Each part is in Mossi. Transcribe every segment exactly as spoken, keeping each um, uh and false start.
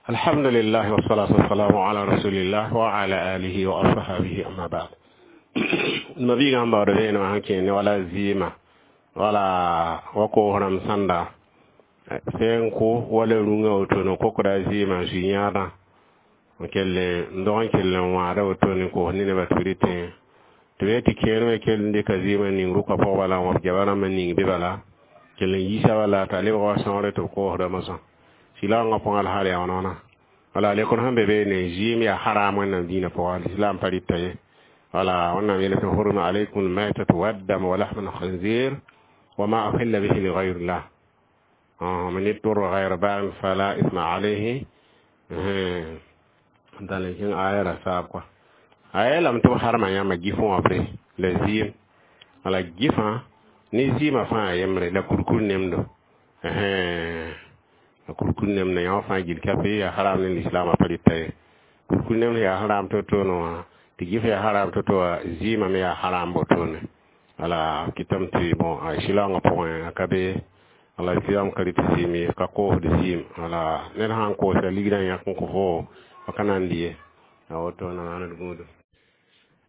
Alhamdulillah wassalatu wassalamu ala rasulillah wa ala alihi wa ashabihi, amma ba'd. Ma biiga sẽn baood vẽenemã sẽn kẽe ne wala zɩɩmã, wala wa koos rãmb sãnda sẽn kʋ wala rũngã wotone kokda zɩɩmã n sui yãadã n kell n dog n kell n wãada wotone n koos ne nebã tɩ b rɩtẽ tɩ b tɩ kẽer me kell n dɩka zɩɩmã ning rʋka pʋg bala n wãb goama rãmbã ning be bala kell n yiisa bala t'a lebg wa sõogre tɩ b koosda mosã sɩlaoongã pʋgã la hal yaa wãna wala lekr sẽn be beene zɩɩm yaa haram Wẽnnaam dĩinã pʋga, l'islam pa rɩta ye. Wala Wẽnnaam yel tɩ hurma alaykum almaytatu waddam wa lahma alkhinzir wa ma uhilla bihi lighayri llah man ittara ghayra baghin fala isma alayhi. Dal n kẽng aya ra saab kɔa a yeelame tɩ b harma yãmba gɩf wãbre la zɩɩm wala gɩfã ne zɩɩmã fãa yembre la kurkur nemdo, la kurkur nemdo yã fãa gill ka yaa haram ne lislaamã pa rɩta ye. Kurkur nemd yaa haram to-toone wã tɩ gɩf yaa haram to-to wã, zɩɩmã me yaa haram botone. Wala kɩtame tɩ bon a sɩlaoongã pʋgẽ a ka be wala islam ka rɩt zɩɩm ye, ka koosd zɩɩm. Wala ned sãn koosa ligrã yãk n kõ fo fa ka nan ye a woto na maand gũudum.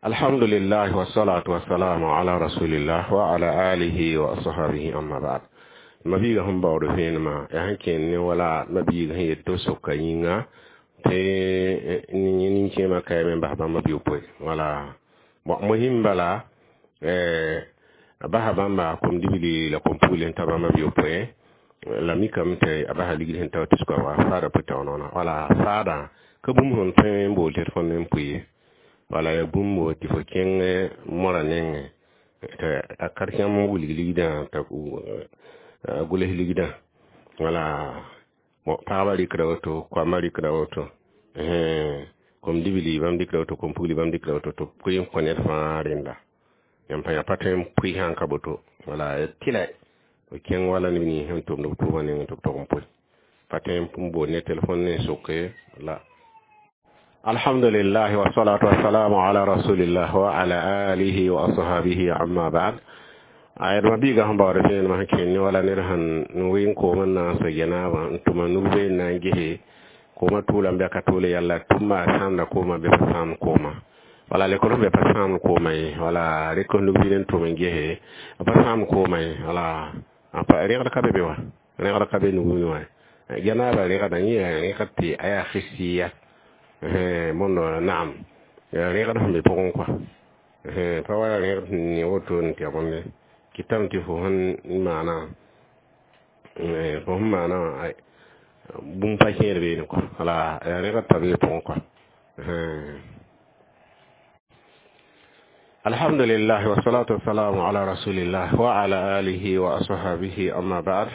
Alhamdulillah wassalatu wassalamu ala rasulillah wa ala alihi wa ashabihi, amma ba'd. Ma biiga sẽn baood vẽenemã yaa sẽn kẽnd ne wala ma biiga sẽn yet tɩ soka yĩnga tɩ nin-kẽemã kaame n bas bãmba bi-yopoe. Wala bon mohim bala a basa bãmba kom-dibli la kom-pugl n ta bãmba bi-yopoe la mikame tɩ a basa ligd sẽn ta tɩ sʋka wa faada pʋ noona. Wala faadã ka bũmb sẽn tõe n bool tɩ d fõnd n pʋ ye, wala yaa bũmb tɩ fo kẽng morã nengẽ tɩ a karẽm n wilg ligdã t'a gʋls ligdã. Wala bon pagba rɩkda woto, koamã rɩkda woto, kom-dibli bãmb dɩkda woto, kom-pugli bãmb dɩkda woto tɩ b pʋɩ n kõ ned fãa rẽnda. Yãmb pa pa tõe n pʋɩ sãn ka boto, wala tɩlɛ b kẽng wala neb nins sẽn tʋmd b tʋʋmã nengẽ tɩ b tog n pʋɩ pa tõe n bool ne telefon ne soke la. Alhamdulillah wassalatu wassalamu ala rasulillah wa ala alihi wa ashabihi, amma ba'd. A yɛdma biiga sẽn baood vẽenemã sẽn kẽnd ne wala ned sẽn wɩ n koom n na n so genaabã n tʋma nug been na n gese koomã tʋʋlame bɩ a ka tʋʋle yalla tʋmba a sãamda koomã bɩ pa sãamd koomã. Wala lekr sẽn be pa sãamd koomã ye, wala rɩk nug bir n tʋm n gese pa sãamd koomã ye. Wala rẽgd ka be be wa rẽgd ka be nug wã genaabã rẽgdã yẽ yaa rẽgd tɩ a yaa xisiya bõndo naam rẽgd sẽn be pʋgẽ kɔa pa wa rẽgd sẽn ne woto n tɩ bõnde kɩtame tɩ fo sẽn maana fo sẽn maana bũmb pa kẽed beene kɔa. Wala yaa rẽgd pa bee pʋgẽ kɔa. Alhamdulillah wassalatu wassalamu ala rasulillah wa ala alihi wa ashabihi, amma ba'd.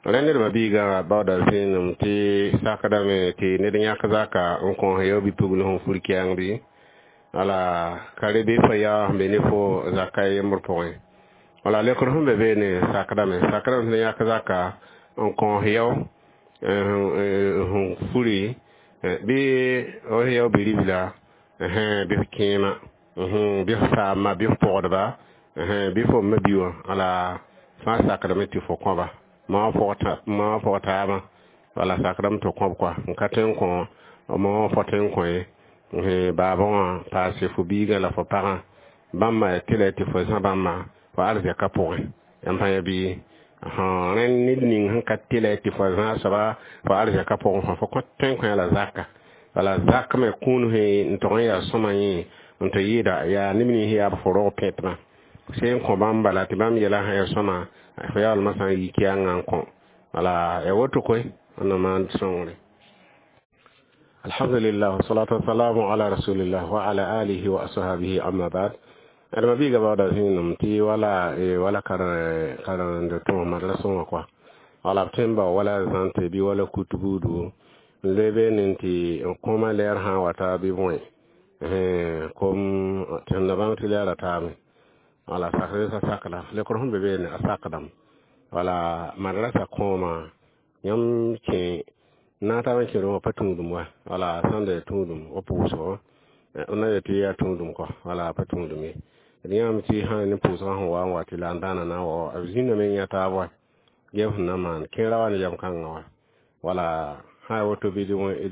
Rẽ nedbã biigã baooda vẽenem tɩ sakdame tɩ ned yãk zaka n kõs yao bi-pugl sẽn fur kɛɛng bɩ wala ka re bɩ fa yaa sẽn be ne fo zaka yembr pʋgẽ. Wala lekr sẽn be beene sakdame sakdame tɩ ned yãk zaka n kõs yao sẽn furi bɩ f yao bi-ribla bɩ f kẽema bɩ f saamma bɩ f pɔgdba bɩ fo ma bi wã. Wala fãa sakdame tɩ fo kõba ma wã pʋg taabã, wala sakdame tɩ kõb kɔa n ka tõe n kõ ma wã fo tõe n kõ ye baabã wã paase fo biigã la fo pagã bãmba tɩ tɩ fo zã bãmba fo arzɛka pʋgẽ yãmb pãa ya bɩ rẽ ned ning sẽn ka tɩlɛ tɩ fo zã soaba fo arzɛka pʋgẽ fo fo tõe n kõ la zaka. Wala zak me kũun n tog n yaa sõma yẽ n tɩ yɩɩda yaa neb nins yaa b fo rog pẽtmã sẽn kõ bãmb bala tɩ bãmb yɛla sã yaa sõma fo yaoolmã sã n yi kɛɛngã n kõ. Wala ya woto koe wẽnnaam maan sõngre. Alhamdulillah wassalatu wassalamu ala rasulillah wa ala alihi wa ashabihi, amma ba'd. Adama biiga baooda zĩenem tɩ wala wala karende tõog madrasẽ wã kɔa wala b tõe n bao wala zãnte bɩ wala kut buudu n loe beene tɩ n kõoma lɛɛr sã n wata bɩ bõe kom tɩ sẽn na bãng tɩ lɛɛra taame. Wala sakr sa sakda lekr sẽn be beene a sakdame wala madrasa kõoma yãmb kẽ naataab n kẽed wã pa tũudum wa wala sãn da tũudum wa pʋʋsgo na yet tɩ yaa tũudum kɔ wala pa tũudum ye. D yãame tɩ sã ne pʋʋsgã sẽn wa n wa tɩ la n dãana na n wa b zĩndame n yã taab wa gem sẽn na n maan kẽerã wa ne yam kãngã wa wala Sã woto bɩ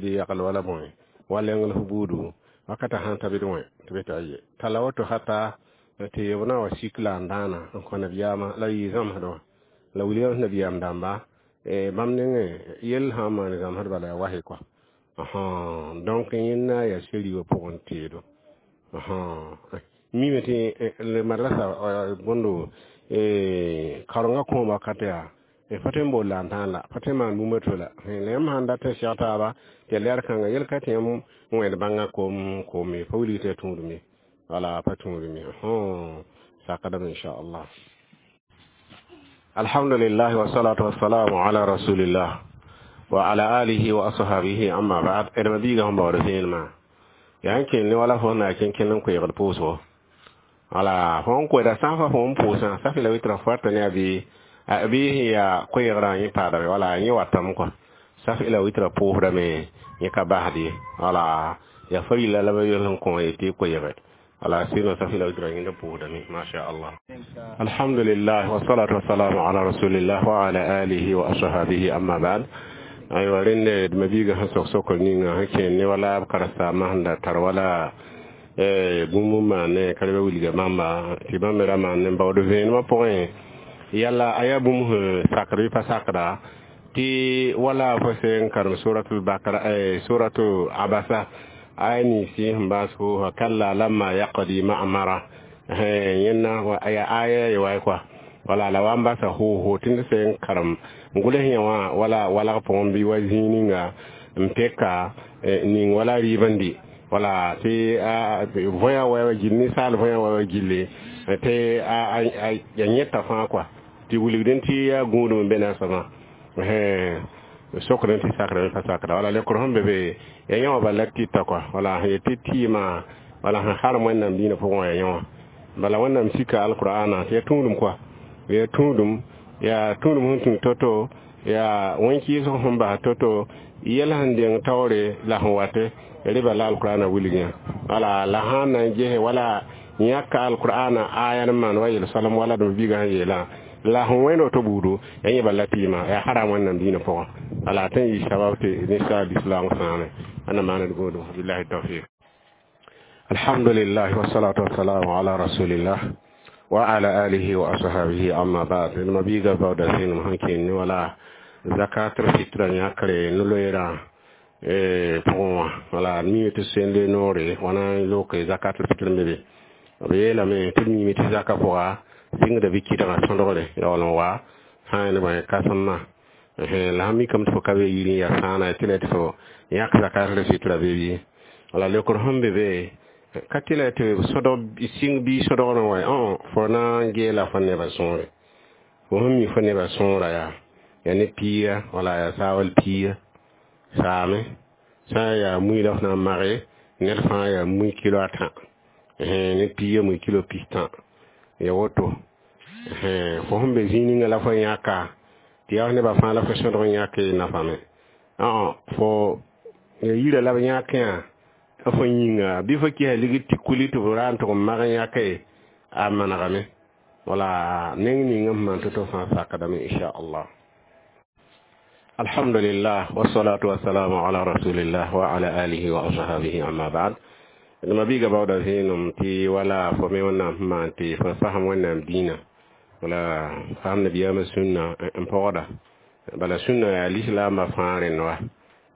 d yagl wala bõe wa lengl f buudu wakata sãn ta bɩ d wẽ tɩ be tɩ aye tala woto hata tɩ b na wa sik la n dãana n kõ nabiyaamã la yɩ zãmsd wã la wilgame nabiyaam dãmba bãmb nengẽ yell sã n maan zãmsd bala yaa was kɔa. Donc yẽnda yaa seri wã pʋgẽ teedo mime tɩ madrasa bõndo karengã kõom wakat yaa pa tõe n bool la n tãan la pa tõe n maan bũmb to la la yãmb sãn dat n seg taaba tɩ yaa lɛɛr kãnga yel ka tɩ yãmb wẽed bãngã koom koom ye pa wilg tɩ yaa tũudme wala pa tũudme sakdame inchallah. Alhamdulillah, wasalatu wassalamu ala rasulillah wa ala alihi wa ashabihi, amma ba'd. D mabiiga sẽn baood vẽenemã yaa n kell ne wala fo na kẽn n koeegd pʋʋsgo wala fo n koeeda sã n fa fo n pʋʋsã safi la witra fo rata ne a bɩ bɩ sẽn yaa koeegrã yẽ paadame wala yẽ watame kɔa safi la witra pʋʋsdame yẽ ka basd ye wala yaa fa yilla la ba yel sẽn kõ ye tɩ koeege wala sinon safi la witra yẽnda pʋʋsdame masha Allah. Alhamdulillah, wasalatu wassalamu ala rasulillah wa ala alihi wa ashabihi, amma ba'd. Aywa, rẽnde d mabiiga sẽn sok sokr ninga sẽn kẽen ne wala b karen-saambã sẽn da tar wala bũmb n maan ne ka reba wilga bãmba tɩ bãmb me ra maan ne baood vẽenemã pʋgẽ yala a yaa bũmb sẽn sakd bɩ pa sakda tɩ wala fo sẽn karem suratul bakara, suratu abasa aya ninsi sẽn baas fo kalla lamma yaqdi ma amara yẽnna aya aya ye wa kɔa wala la wa n basa hoho tɩ ned sẽn karem n gʋls yẽ wã wala walg pʋgẽ bɩ wa zĩig ninga n peka ning wala rɩɩbndi wala tɩ võya wa gill ninsaal võya wa gilli tɩ a yẽta fãa kɔa tɩ wilgdẽ tɩ yaa gũudum n be na soabã sokdẽ tɩ sakdame pa sakda wala lekr sẽn be be ya yẽ wã bala tɩta kɔa wala sẽn yet tɩ tɩɩmã wala sẽn harem Wẽnnaam dĩinã pʋgẽ wã ya yẽ wã bala Wẽnnaam sika alqur'ana tɩ ya tũudum kɔa ya tũudum yaa tũudum sẽn tũ to-to yaa wẽn-kɩɩsg sẽn bas to-to yɛl sẽn deng taoore la sẽn wate rɩba la alqur'ana wilg yã wala la sãn na n gese wala yãka alqur'ana aya n maan wa yel soalem wala d biigã sẽn yeelã la sẽn wẽnd woto buudu ya yẽ bala tɩɩmã yaa haram Wẽnnaam dĩinã pʋgã wala tɩ n yɩ sabab tɩ ninsaal lislaam sãame ãnda maaned gũudum. Billahi tawfiq. Alhamdulillah, wasalatu wassalamu ala rasulillah wa ala alihi wa ashabihi, amma ba'd. D mabiiga baooda zẽenem sẽn kẽen ne wala zakatul fitra yãkre no-loeerã pʋgẽ wã wala mime tɩ send noore wãna loke zakatul fitr me be b yeelame tɩ d mime tɩ zaka pʋga sɩngda bɩ kɩdgã sõdgre yaool n wa sã n bõe kãsemmã la sã mikame tɩ fo ka be yir n yaa sãana tɩ la tɩ fo yãk zakatul fitra be bɩ wala lekr sẽn be be ka tɩ la tɩ sõdg sɩng bɩ sõdgrẽ wa fo na n geela fo nebã sõore fo sẽn mi fo nebã sõora yaa yaa ne piiga wala yaa saawal piiga saame sã n yaa mui la f na n mage ned fãa yaa mui kilo a tã ne piiga mui kilo pistã ya woto fo sẽn be zĩig ninga la fo yãka tɩ yaa nebã fãa la fo sõdg n yãk nafame fo yira la b yãkẽ fo yĩnga bɩ fo kɩsa ligd tɩ kuli tɩ b ra n tʋg n mag n yãke a manegame wala neng ning n maan to-to fãa sakdame inchallah. Alhamdulillah, wasalatu wassalamu ala rasulillah wa ala alihi wa ashabihi, amma ba'd. D mabiiga baooda vẽenem tɩ wala fo me Wẽnnaam sẽn maan tɩ fo fasem Wẽnnaam dĩinã wala fasem nabiyaamã sũnna n pɔgda bala sũnna yaa lislaambã fãa rẽnd wa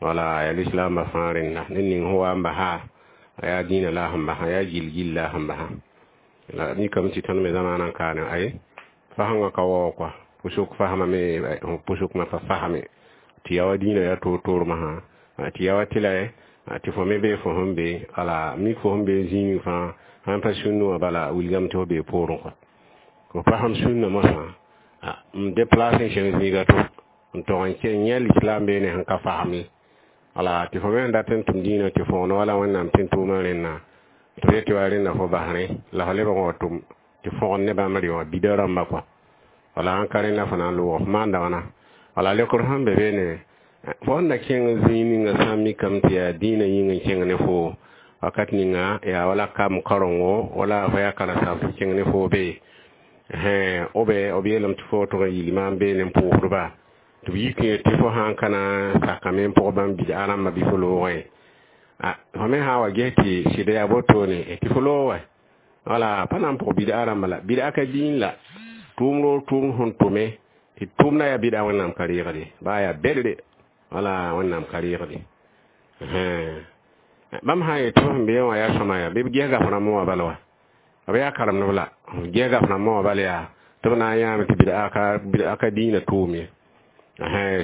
wala yaa lislaambã fãa rẽnda ned ning sẽn wa n basa a yaa dĩinã la a sẽn basa yaa gil-gill la a sẽn basa la mikame tɩ tõnd me zamaanã n kaane ay fasẽngã ka waoog kɔa pʋsʋk fasmame pʋsʋkmã pa fasme tɩ yaa wa dĩinã yaa toor-toor masã tɩ yaa wa tɩ la tɩ fo me bee fo sẽn be wala mik fo sẽn be zĩig fãa sãn pa sũnn wã bala wilgame tɩ fo bee poorẽ kɔa fo fasem sũnna mosã n déplace n kẽng zĩiga to n tog n kẽ yẽ lislam beene sẽn ka fasem ye wala tɩ fo me sẽn dat n tʋm dĩinã tɩ fõgen wala Wẽnnaam tẽn tʋʋmã rẽnna tɩ f yet tɩ wa rẽnna fo basrẽ la fo lebg n wa tʋm tɩ fõgen ne bãmb rɩ wã bida rãmbã kɔa wala sãn ka rẽnna fo na n loog f maanda wãna wala lekr sẽn be beene fo sẽn da kẽng zĩig ninga sã n mikame tɩ yaa dĩinã yĩng n kẽng ne fo wakat ninga yaa wala kam karengo wala fo yaa karen-saam tɩ kẽng ne fo be o be b yeelame tɩ fo tʋg n yil maam beene n pʋʋsdba. Tɩ b yik tɩ fo sã n ka na n sakame n pʋg bãmb bid'a rãmbã bɩ fo loogẽ a fo me sã n wa ges tɩ sɩd yaa wotone tɩ fo loog wɛ wala pa na n pʋg bid'a rãmbã la bid'a ka dĩin la tʋʋm roog tʋʋm sẽn tʋme tɩ tʋʋmda yaa bid'a Wẽnnaam ka reegde baa yaa bɛdre wala Wẽnnaam ka reegde bãmb sã n yet tɩ f sẽn beẽ wã yaa sõma yaa bɩ b ges gaf rãmbã wã bala wa b yaa karemdb la ges gaf rãmbã wã bala yaa tɩ b na n yãame tɩ bid'a ka bid'a ka dĩinã tʋʋm ye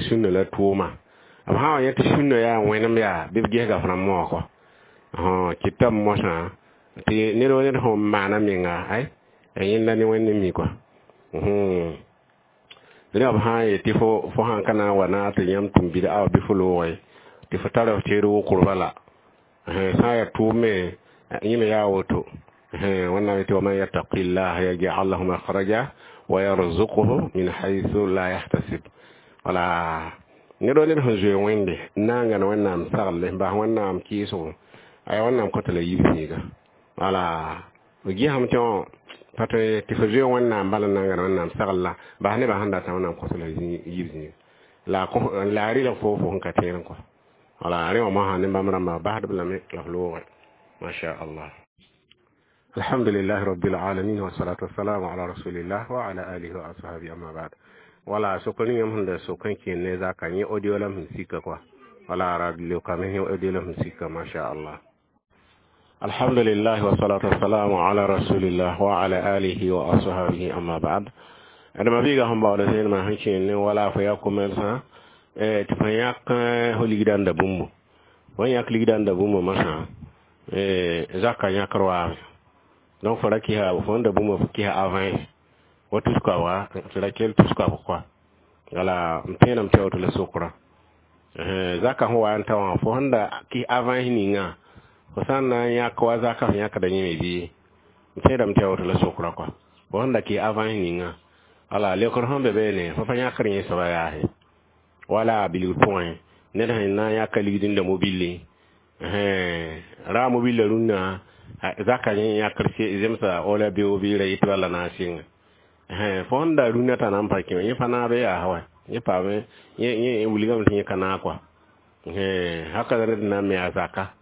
sũnna la tʋʋma b sã n wa yẽ tɩ sũnna yaa wẽnem yaa bɩ b ges gaf rãmbã wã kɔ kɩtame mosã tɩ ned wa ned sẽn maana menga ay yẽnda ne Wẽnd n mi kɔa rẽ b sã n yet tɩ fo fo sãn ka na n wa na tɩ yãmb tʋm bid'a wã bɩ fo loogẽ tɩ fo tara f teed wokrba la sã n yaa tʋʋm me yẽ me yaa woto Wẽnnaam yetɩ ومن يتق الله يجعل له مخرجا ويرزقه من حيث لا يحتسب wala ned wa ned sẽn zoe Wẽnde n na n gãn Wẽnnaam sagle n bas Wẽnnaam kɩɩsgo aya Wẽnnaam kõta la yib zĩiga wala b gesame tɩ wã pa tõe tɩ fo zoe Wẽnnaam bala n na n gãn Wẽnnaam sagl la bas nebã sẽn datã Wẽnnaam kõta la yib zĩiga la la a rɩla fo fo sẽn ka tẽed kɔ wala rẽ wã mosã ne bãmb rãmbã basdb lame la f loogẽ masha Allah. الحمد لله رب العالمين والصلاة والسلام على رسول الله وعلى آله وأصحابه أما بعد wala sokoni yam hunda sokan ke ne za ka yi audio lam hin sika kwa wala radio ka men audio lam hin sika masha Allah. Alhamdulillah wa salatu wassalamu ala rasulillah wa ala alihi wa ashabihi amma ba'd ada mabiga hon bawda sen ma hanci ne wala fa ya komensa eh ti fa yak holigidan da bumbu won yak ligidan da bumbu masa eh zaka yakarwa donc fara ki ha fo da bumbu ki ha avant wa tuska wa tɩ kell tuska quoi wala n tẽenam tɩ woto la sokra zaka sẽn wa n ta wã fo sẽn da kɩs avant ninga fo sã n na n yãk wa zaka f yãkda yẽme bɩ n tẽedame tɩ woto la sokra quoi fo sẽn da kɩs avant ninga wala leokr sẽn be beene fo pa yãkr yẽ soaba yaase wala bilgr pʋgẽ ned sẽn na n yãka ligd n da mobile ra mobile rũnnã zaka yẽ yãkr zemsa wala beo bɩ ra yetɩ bala na n sɩnga fo sẽn da rũnnã t'a na n pa kẽ yẽ pa naabe yaa wa yẽ paame yẽ wilgame tɩ yẽ ka naag kɔa haka ned na n me a zaka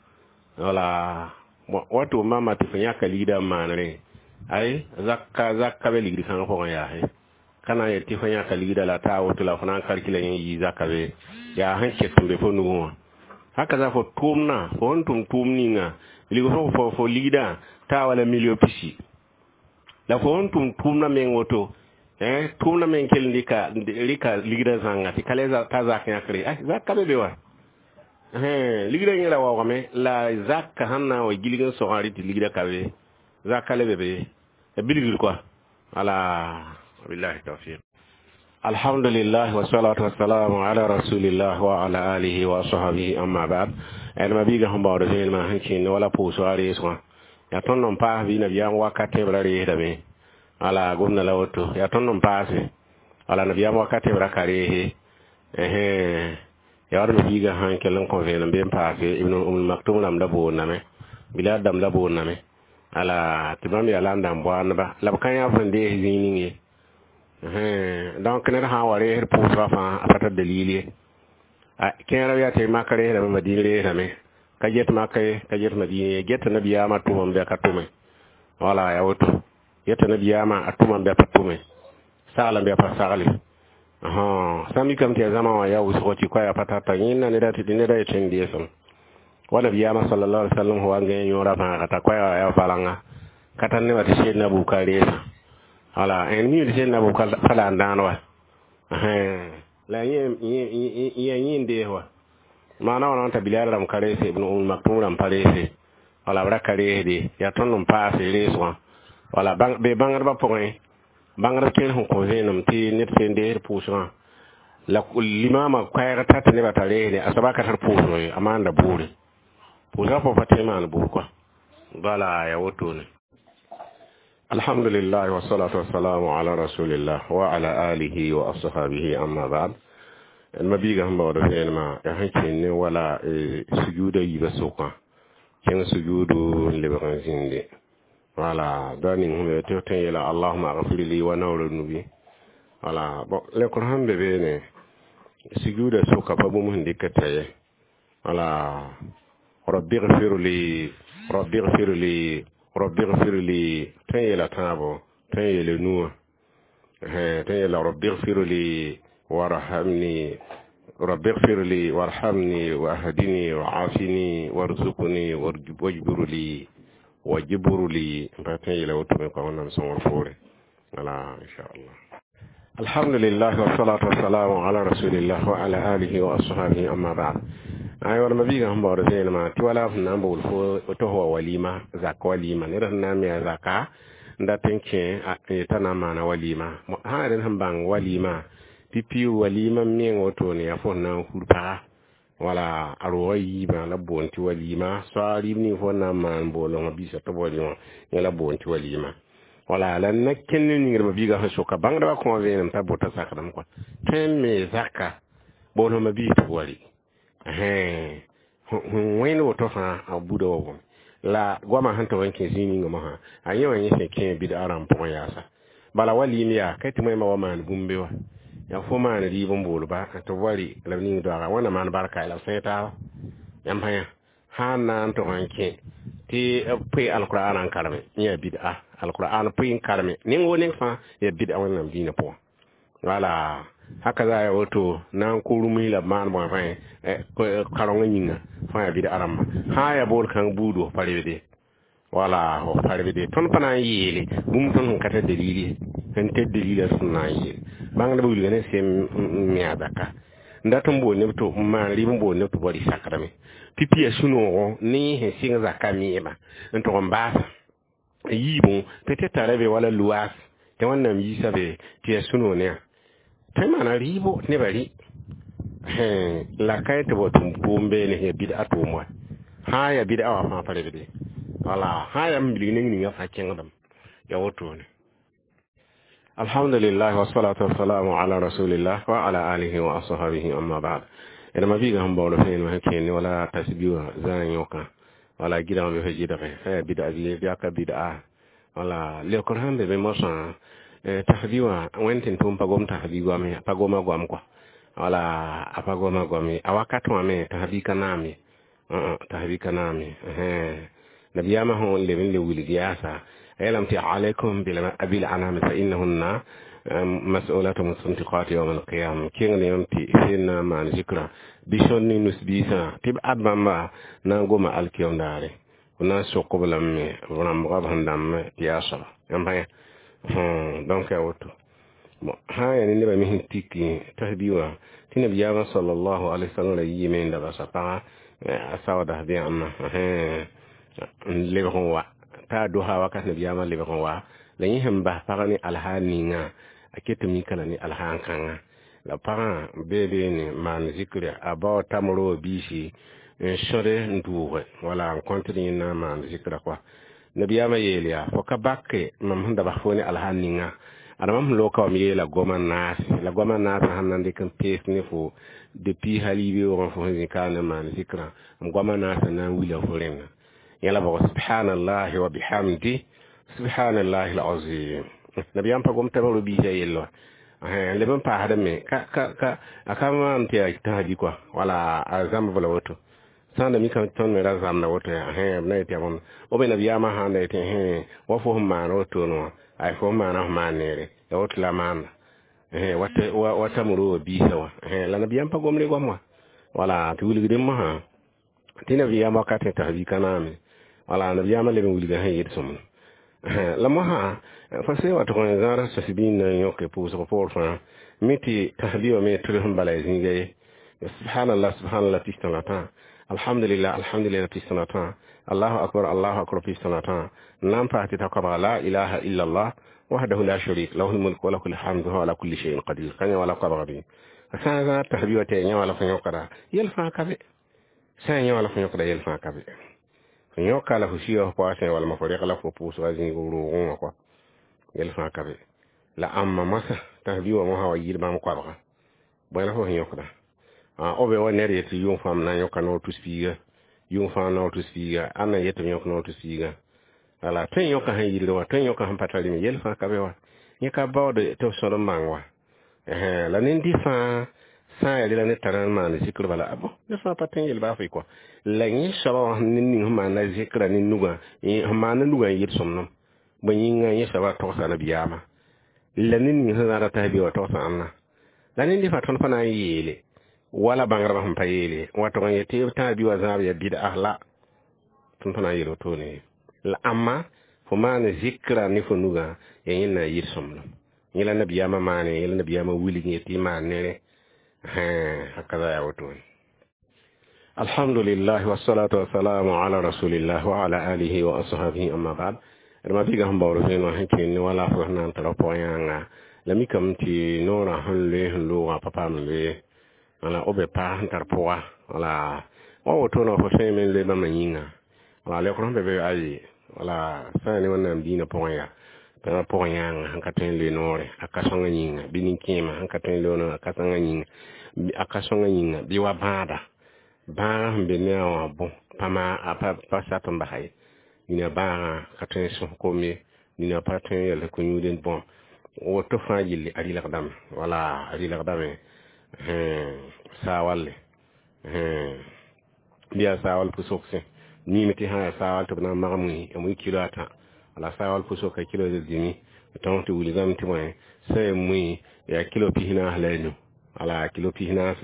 wala wa tɩ mama tɩ fo yãka ligdã n maanrẽ ay zakka zakka be ligd kãngã pʋgẽ yaase ka na n yet tɩ fo yãka ligdã la taa woto la fo na n kalkila yẽ yɩ zaka be yaa sẽn ket n be fo nugẽ wã haka za fo tʋʋmdã fo sẽn tʋm tʋʋm ninga bilg fo fo fo ligdã taa wala million pisi la fo sẽn tʋm tʋʋmdã meng woto eh tʋʋmdã meng kell n rɩka rɩka ligdã zãnga tɩ ka le ta zak yãkre ay zak ka be be wa ligdã yẽ ra waoogame la zaka sẽn na n wa gilg n sogã rɩ tɩ ligdã ka be zak ka le be be bilgr kɔa wala billahi tawfiq. Alhamdulillah wa salatu wa salamu ala rasulillah wa ala alihi wa sahbihi amma ba'd ma biga sẽn baood vẽenemã sẽn kẽnd wala pʋʋsg a reesgã yaa tõnd n paas bɩ nabiyaam wakat b ra reesdame wala gomda la woto yaa tõnd n paase wala nabiyaam wakat b ra ka reese yaa wad biiga sãn kell n kõ vẽenem bɩ n paase Ibn Umm Maktum rãmb la boondame Bilal dãmb la boondame ala tɩ bãmb yaa la n dãmb boandba la b ka yã f n dees zĩig ning ye donc ned sã n wa reesd pʋʋsgã fãa a pa tar dalil ye kẽerã yaa tɩ mak reesdame Madin reesdame ka get maka ye ka get Madina ye geta nabiyaamã tʋmam bɩ a ka tʋme wala yaa woto yeta nabiyaamã a tʋmam bɩ a pa tʋme saglame bɩ a pa sagle sã n mikame tɩ yaa zãma wã yaa wʋsgo tɩ koɛɛgã pa tata yẽnda neda tɩ neda yetɩ n deesem wa nabiyaamã sallallahu alaihi wasallam wa n gãe yõorã fãaga t'a koɛɛgã yaa valanga ka tar nebã tɩ sed Abubakar reesã wala n mi tɩ sed Abubakar pa la n dãan wa la yẽ yẽ n dees wa maana wã t'a Bilal rãmb ka reese Ibn Umm Maktum rãmb pa reese wala b ra ka reesde yaa tõnd n paase reesgã wala be bãngdbã pʋgẽ bãngdb kẽer sẽn kõ vẽenem tɩ ned sẽn deesd pʋʋsgã la limama koɛɛg ta tɩ nebã t'a reesde a soaba ka tar pʋʋsg ye a maanda buure pʋʋsgã pʋgẽ pa tõe n maan buur kɔa bala yaa wotone. Alhamdulillah wa salatu wassalamu ala rasulillah wa ala alihi wa ashabihi amma ba'd ma biiga sẽn baood vẽenemã yaa sẽn kẽnd ne wala sujuuda yiibã sʋkã kẽng sujuudu n lebg n zĩnde wala da ning sẽn be tɩ f tõe n yeela allahuma agfir li wa naoor nubi wala bon lekr sẽn be beene Sujuuda sʋka pa bũmb sẽn dɩk t'a ye. Wala rabbi gfir li, rabbi gfir li, rabbi gfir li, tõe n yeela tãabo, tõe n yeele nuwã, tõe n yeela rabbi gfir li warhamni, rabbi gfir li warhamni wahdini waafini warzuqni wajbur li, wajbur li, n pa tõe n yeela woto me kɔa. Wẽnnaam sõngr poore. Wala inchallah. Alhamdulillah, wassalatu wassalamu ala rasulillah wa ala alihi wa ashabihi, amma ba'd. Ay wala mabiga sẽn baood vẽenemã tɩ wala f na n bool fo tɩ f wa walima, zak walima. Ned sẽn na n me a zaka n dat n kẽ yetã na n maana walima. Sã n rẽnd sẽn bãng walima pipi, walima meng wotone yaa fo sẽn na n hur paga wala a roogã yiibã la b boond tɩ walima. Soaag rɩɩb ning fo na n maan boolengã biisã tɩ b walima, yẽ la b boond tɩ walima. Wala la na kẽnd ne ningdbã biigã sẽn soka bãngdbã kõ vẽenem t'a bota sakdem kɔa tõe n me zaka bool fãma biis tɩ b wa rɩ sẽn wẽnd woto fãa a buda wa bõe la goamã sẽn tog n kẽ zĩig ninga mosã a yẽ wã yẽ sẽn kẽ bɩd-a rãmb pʋgẽ yaasa. Bala walim yaa ka tɩ moẽmba wa maan bũmb be wa yaa fo maan rɩɩb n boolba tɩ b wa rɩ la b ning doaga wẽnna maan barka la b sẽe taaba. Yãmb sã sã n na n tog n kẽ tɩ b pʋɩ alkur'an n kareme, yẽ yaa bɩd-a. Alkur'an pʋɩ n kareme neng wo neng fãa yaa bɩd-a Wẽnnaam dĩinã pʋgẽ. Wala haka za ya woto na n kʋ rũmsi la b maan bõe fãa karongã yĩnga fãa yaa bɩd-a rãmba. Sã n yaa bool kãng buud f pa rebde, wala f pa rebde. Tõnd pa na n yeele bũmb tõnd sẽn ka tar dalil ye, sẽn tar dalila tõnd na n yeele. Bãngdbã wilga ne sem n me a zaka n dat n bool neb tɩ n maan rɩɩb n bool neb tɩ b wa rɩ sakdame pipi yaa sũ-noogo ne yẽ sẽn sɩng zaka meema n tʋg n baasa yiibẽ peut-être tara be wala luwaas tɩ Wẽnnaam yiisa be tɩ yaa sũ-noog ne yã tõe n maana rɩɩbo tɩ nebã rɩ la ka tɩ b tʋm tʋʋm beene yaa bɩd-a tʋʋm wa. Sã n yaa bɩd-a wã fãa pa rebde. Wala sã n yaa n bilg neng ninga fãa kẽngdame yaa wotone. Alhamdulillah, wassalatu wassalamu ala rasulillah wa ala alihi wa ashabihi, amma ba'd. Eda mabiga sẽn baood vẽenem sẽn kẽene wala tasbi wã zã yõkã wala gɩdg be fa gɩdge sã yaa bɩd-a bɩ aka bɩd-a. Wala leokr sẽn be be mosã tasbi wã wẽnd tɩ tʋm pa gom tasbi goam pa goma goam kɔa. Wala a pa goma goam ye a wakat wã me tasbi ka naam ye, tasbi ka naam ye. Nabiyaamã sẽn leb n le wilg yaasa a yeelame tɩ alaykum bil anam fa innahunna mas'ulatu mustantiqat yawm alqiyama. Kẽng ne yãmb tɩ sẽn na n maan zikra bɩ sõd ne nus-biisã tɩ b ad bãmba na n goma alkiyom daare b na n sok b lame b rãmbga b sẽn dãmb tɩ yaa soaba. Yãmb sã donc yaa woto. Bon, sã n yaa ne nebã me sẽn tiki tasbi wã tɩ nabiyaamã sallallahu alaihi wasallam ra yiime n da basa pagã a saooda bẽamã n lebg n wa t'a dosa wakat nabiyaamã lebg n wa la yẽ sẽn bas pagã ne alhaal ninga a ket mika la ne alhaan kãngã la pagã bee beene maan zikra a bao tamro biisi n sõde n dʋʋge wala n kõt yẽ na n maan zikra kɔa. Nabiyaamã yeel yaa fo ka bake mam sẽn da bas fo ne alhaal ninga ada mam sẽn loka wam yeela goamã naase la goamã naasã sẽn na n dɩk n pees ne fo depuis hal yibeoogẽ fo sẽn zĩ ka n maan zikrã m goamã naasã na n wila fo rẽnna yẽla bʋg subhanallahi wa bihamdi subhanallahi alazim. Nabiyaam pa gom tamro biisã yell wa leb n paasdame ka ka ka a ka maan tɩ yaa tãsbi kɔa wala a zãmb la woto sã n da mikame tõnd me ra zãmda woto yaa b na yetɩ yaa bõmb o be nabiyaamã sãn da yetɩ wa fo sẽn maan wotone wã ay fo sẽn maana f maan neere ya woto la maanda wa tamro wã biisã wã la nabiyaam pa gomre goam wã. Wala tɩ wilgdẽ mosã tɩ nabiyaam wakat tasbi ka naame. Wala nabiyaamã leb n wilga sẽn yet sõmd la mosã fa sẽn wa tʋg n zãad tasbi n na n yõke pʋʋsg poor fãa mi tɩ tasbi wã me tʋls n bala ya zĩiga ye. Subhanallah, subhanallah pistã la tã, alhamdulillah, alhamdulillah pistã la tã, allahu akbar, allahu akbar pistã la tã, n na n paas tɩ ta koabga la ilaha illa allah wahdahu la sharik lahu lmulk wa lahu lhamdu wa ala kulli shay'in qadir ka yã wala koabga bɩ sã n zãad tasbi wã tɩ ya yã wala fo yõkda yel fãa ka be sã n yã wala fo yõkda yel fãa ka be fo yõka la fo siya fo paasẽ walma fo reg la fo pʋʋsga zĩig roogẽ wã kɔa yel fãa ka be la ãmba moasã tasbi wã mosã wa yɩɩd bãmb koabga bõe la fo sẽn yõkda o be wa ned yetɩ yʋng fãa m na n yõka noor tus-piiga yʋng fãa noor tus-piiga ãnda n yetɩ m yõk noor tus-piiga. Wala tõe n yõka sẽn yɩlg wã tõe n yõka sẽn pa tar rɩme yel fãa ka be wa yẽ ka baood tɩ b sõd n bãng wa la nen-dɩ fãa Sã n yaa rela ned tara n maan zikr bala a bon ned fãa pa tõe n yel baa fɩ kɔa la yẽ soaba wã ned ning sẽn maanda zikra ne nugã sẽn maanda nugã n yet sõmdem bõe yĩnga yẽ soaba togsa nabiyaamã la ned ning sẽn zãada t'a bi wã togsa ãnna la ned fãa tõnd pa na n yeele wala bãngdbã sẽn pa yeele n wa tʋg n yet tɩ b tãa bi wã zãab yaa bɩd'a la tõnd pa na n yeel wotone ye la ãmma fo maan zikra ne fo nugã yaa yẽnd na n yɩ sõmblem yẽ la nabiyaamã maane yẽ la nabiyaamã wilg yet tɩ y maan nere hakaza yaa wotone alhamdulillah wassalatu wassalamu ala rasulillah wa ala alihi wa ashabihi amma ba'd d ma biiga sẽn baood vẽeneg sẽn kẽnd ne wala fo sẽn na n tara pʋgã yãnga la mikame tɩ noorã sẽn loe sẽn loogã pa paam n loe wala b be pa sẽn tar pʋga wala wa wotone fo tõeme n loe bãmba yĩnga wala leokr sẽn be be ayi wala sã n ne wẽnnaam diinã pʋgẽ yaa tɩ pʋgẽ yãnga sẽn ka tõe n loe noore a ka sõngã yĩnga bɩ nin-kẽemã sẽn ka tõe n loe noore a ka sõngã yĩnga a ka sõngã yĩnga bɩ wa bãada bãagã sẽn be ne a wã bõ pa maa a pa pa sat n basa ye nina bãagã ka tõe n sõs kom ye nina pa tõe n yɛls ko-yũud n bõm woto fãa yelle a rɩlgdame wala a rɩlgdame saa walle bɩ yaa saa wall pʋsogsẽ miime tɩ sã yaa saa wall tɩ b na n mag mui a mui kilo a tã wala saa wall pʋsg ka kilo dĩmi tõog tɩ wilgame tɩ bõe sã n yaa mui yaa kilo pis naas la a nu wala kilo pis naas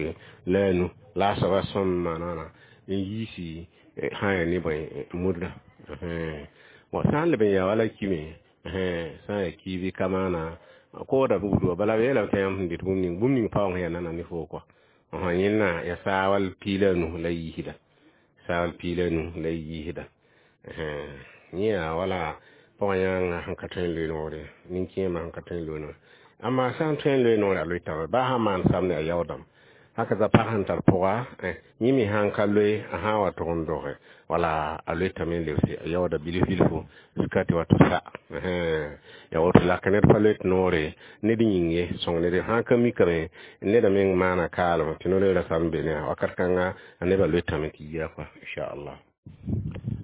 la a nu la a soaba sõm maana n yiisi sã n yaa ne bõe mudra bon sã n leb n yaa wala kime sã n yaa kiibi ka maana kooda bugd bala b yeelame tɩ yãmb sẽn dɩt bũmb ning bũmb ning paoong yaa nana ne foo kɔa yẽnna yaa saa wall pii la a nu la yiisda saa wall pii la a nu la yiisda yẽ yaa wala pʋgã yãnga sẽn ka tõe n loe noore nin-kẽemã sẽn ka tõe n loe noore amma sã n tõe n loe noore a loetame baa sã n maan samde a yaoodame haka za pag sẽn tar pʋga yẽ me sãn ka loe a sã n wa tʋg n doge wala a loetame n lebse a yaooda bilf bilfu jusqu'à tɩ wa tɩ sa ya woto la ka ned pa loet noore ned yĩng ye sõng ned sãn ka mikame neda meng maana kaalem tɩ no-loeera sam be ne wakat kãnga a nebã loetame tɩ yia kɔa inchallah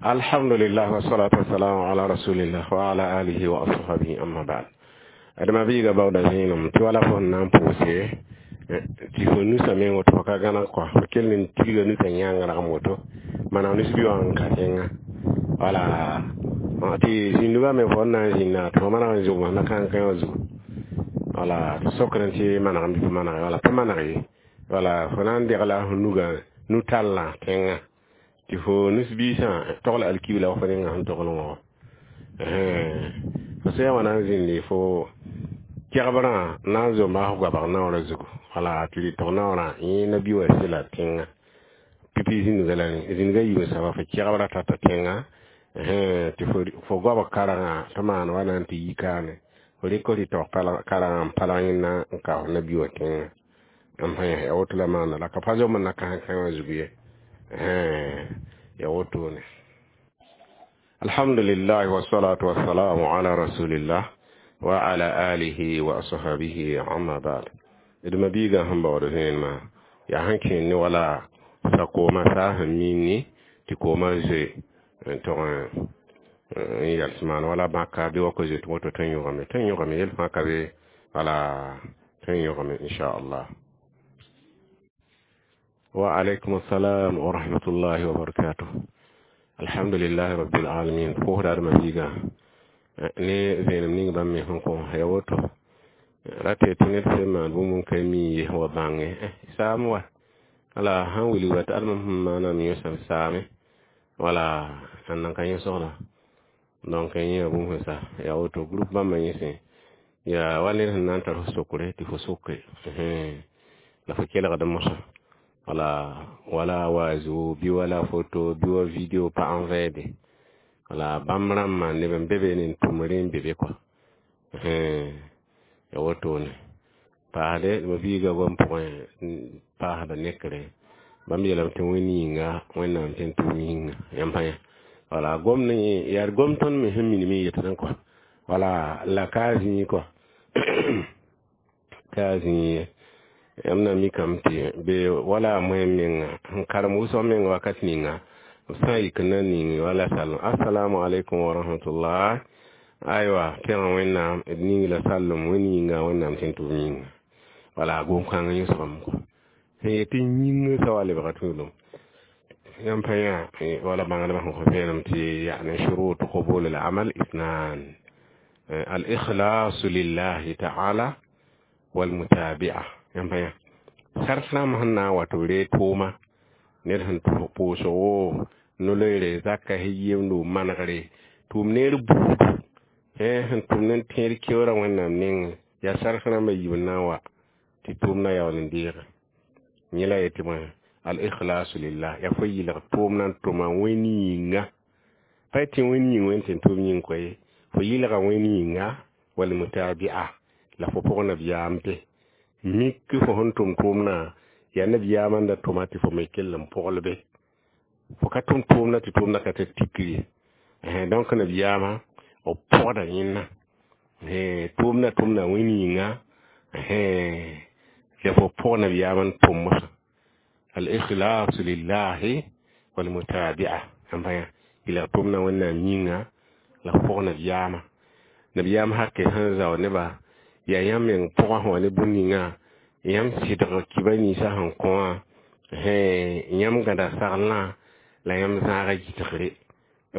alhamdulillah wassalatu wassalamu ala rasulillah wa ala alihi wa ashabihi amma ba'd adama biiga baooda zẽenem tɩ wala fo sẽn na n pʋʋse tɩ fo nusa meng woto fo ka gãneg kɔa fo kell n tigla nusa yãng ragem woto maneg nus-bi wã n ka tẽnga wala tɩ zĩndugã me fo n na n zĩnda tɩ fo maneg n zʋgb na kãn-kã wã zugu wala tɩ sokd tɩ maneg n bɩ pa maneg wala pa maneg ye wala fo na n degla fo nugã nu-tallã tẽngã tɩ fo nus-biisã togl alkibla wa fo ninga sẽn togl wã fo sã wã na n zĩndi fo kɛgbrã na n zomba f goabg naoorã zugu wala tɩ rɩ tog naoorã yẽ nabi wã sela tẽngã pipi zĩndga la zĩndga yiib n saba fo kɛgbrã tata tẽngã tɩ fo goabg karengã tɩ maan wa na n tɩ yi kaane fo rɩk rɩ tog karengã n palg yẽnna n ka f nabi wã tẽngã n pa ya woto la maana la ka pa zomb n na kãsẽ wã zugu ye ya wotone alhamdulillah wassalatu wassalamu ala rasulillah wa ala alihi wa ashabihi amma ba'd d ma biiga sẽn baood vẽenemã yaa sẽn kẽend ne wala sa-koomã saa sẽn minni tɩ koomã zoe n tog n yɛls maan wala bãka bɩ wa ka zoe tɩ woto tõe n yõgame tõe n yõgame yel fãa ka be wala tõe n yõgame inchallah wa alaykum assalam wa rahmatullahi wa barakatuh alhamdulillahi rabbil alamin pʋʋsda d ma biiga ne vẽenem ning bãmb me sẽn kõ ya woto rate tɩ ned sẽn maan bũmb n ka mi ye wa bãnge saam wa wala sãn wilg wa tɩ adma sẽn maaname yõsame saame wala n nan ka yẽsgda donc yẽ yaa bũmb sẽn sa yaa woto groupe bãmba yẽsẽ yaa wa ned sẽn na n tar f sokre tɩ fo soke la fo kelgd mosã wala wala wazo bɩ wala photo bɩ wa video pa n vɛɛde wala bãmb rãmbã neb n be be ne n tʋm rẽ n be be kɔa ya wotone paasde ma biiga goam pʋgẽ paasda nekre bãmb yeelame tɩ wẽnd yĩnga wẽnnaam tɩ n tʋm yĩnga yãmb pa yã wala gom ne yaa gom tõnd me sẽn minim n yetdẽ kɔa wala la ka zĩig kɔa ka zĩig ye yãmb na mikame tɩ be wala moẽ menga sẽn karem wʋsg meng wakat ninga b sã n yik n na ning wala sallem assalamu alaikum wa rahmatullah aywa pẽga wẽnnaam d ning la sallem wẽnd yĩnga wẽnnaam tɩ n tʋm yĩnga wala gom-kãng yõsgame kɔ Sẽn yetɩ yĩngã sa wa lebga tuulum. Yãmb pa yã wala bãngdbã sẽn kõ vẽenem tɩ يعني شروط قبول العمل اثنان الإخلاص لله تعالى والمتابعة. Yãmb pa yã sart rãmb sẽn na n wa tɩ b reeg tʋʋma ned sẽn pʋʋsg wo no-loeere zaka yemdo manegre tʋʋm neer buudu sẽn tʋm ne tẽed keoorã Wẽnnaam nengẽ yaa sark rãmbã yiib n na n wa tɩ tʋʋmdã yaool n deege yẽ la yetɩ bõe al-ikhlasu lillah yaa fo yɩlg tʋʋm na n tʋma wẽnd yĩnga pa tɩ wẽnd yĩng wẽnd tɩ tʋʋm yĩng koe fo yɩlga wẽnd yĩnga walmutabi'a la fo pʋg nabiyaam be mik fo sẽn tʋm tʋʋmdã yaa nabiyaamã n da tʋma tɩ fo me kell n pʋgl be fo ka tʋm tʋʋmdã tɩ tʋʋmdã ka tar tikr ye donc nabiyaamã b pʋgda yẽnna tʋʋmdã tʋmda wẽnd yĩnga la fo pʋg nabiyaamã n tʋm mosã al-ikhlasu lillahi walmutabi'a yãmb yɩlg tʋmdã Wẽnnaam yĩnga la fo pʋg nabiyaamã nabiyaam hake sẽn zao nebã yaa yãmb meng pʋgã sẽn wa ne bũmb ninga yãmb sɩdg kiba ninsã sẽn kõ wã yãmb gãda saglã la yãmb zãaga gɩtgre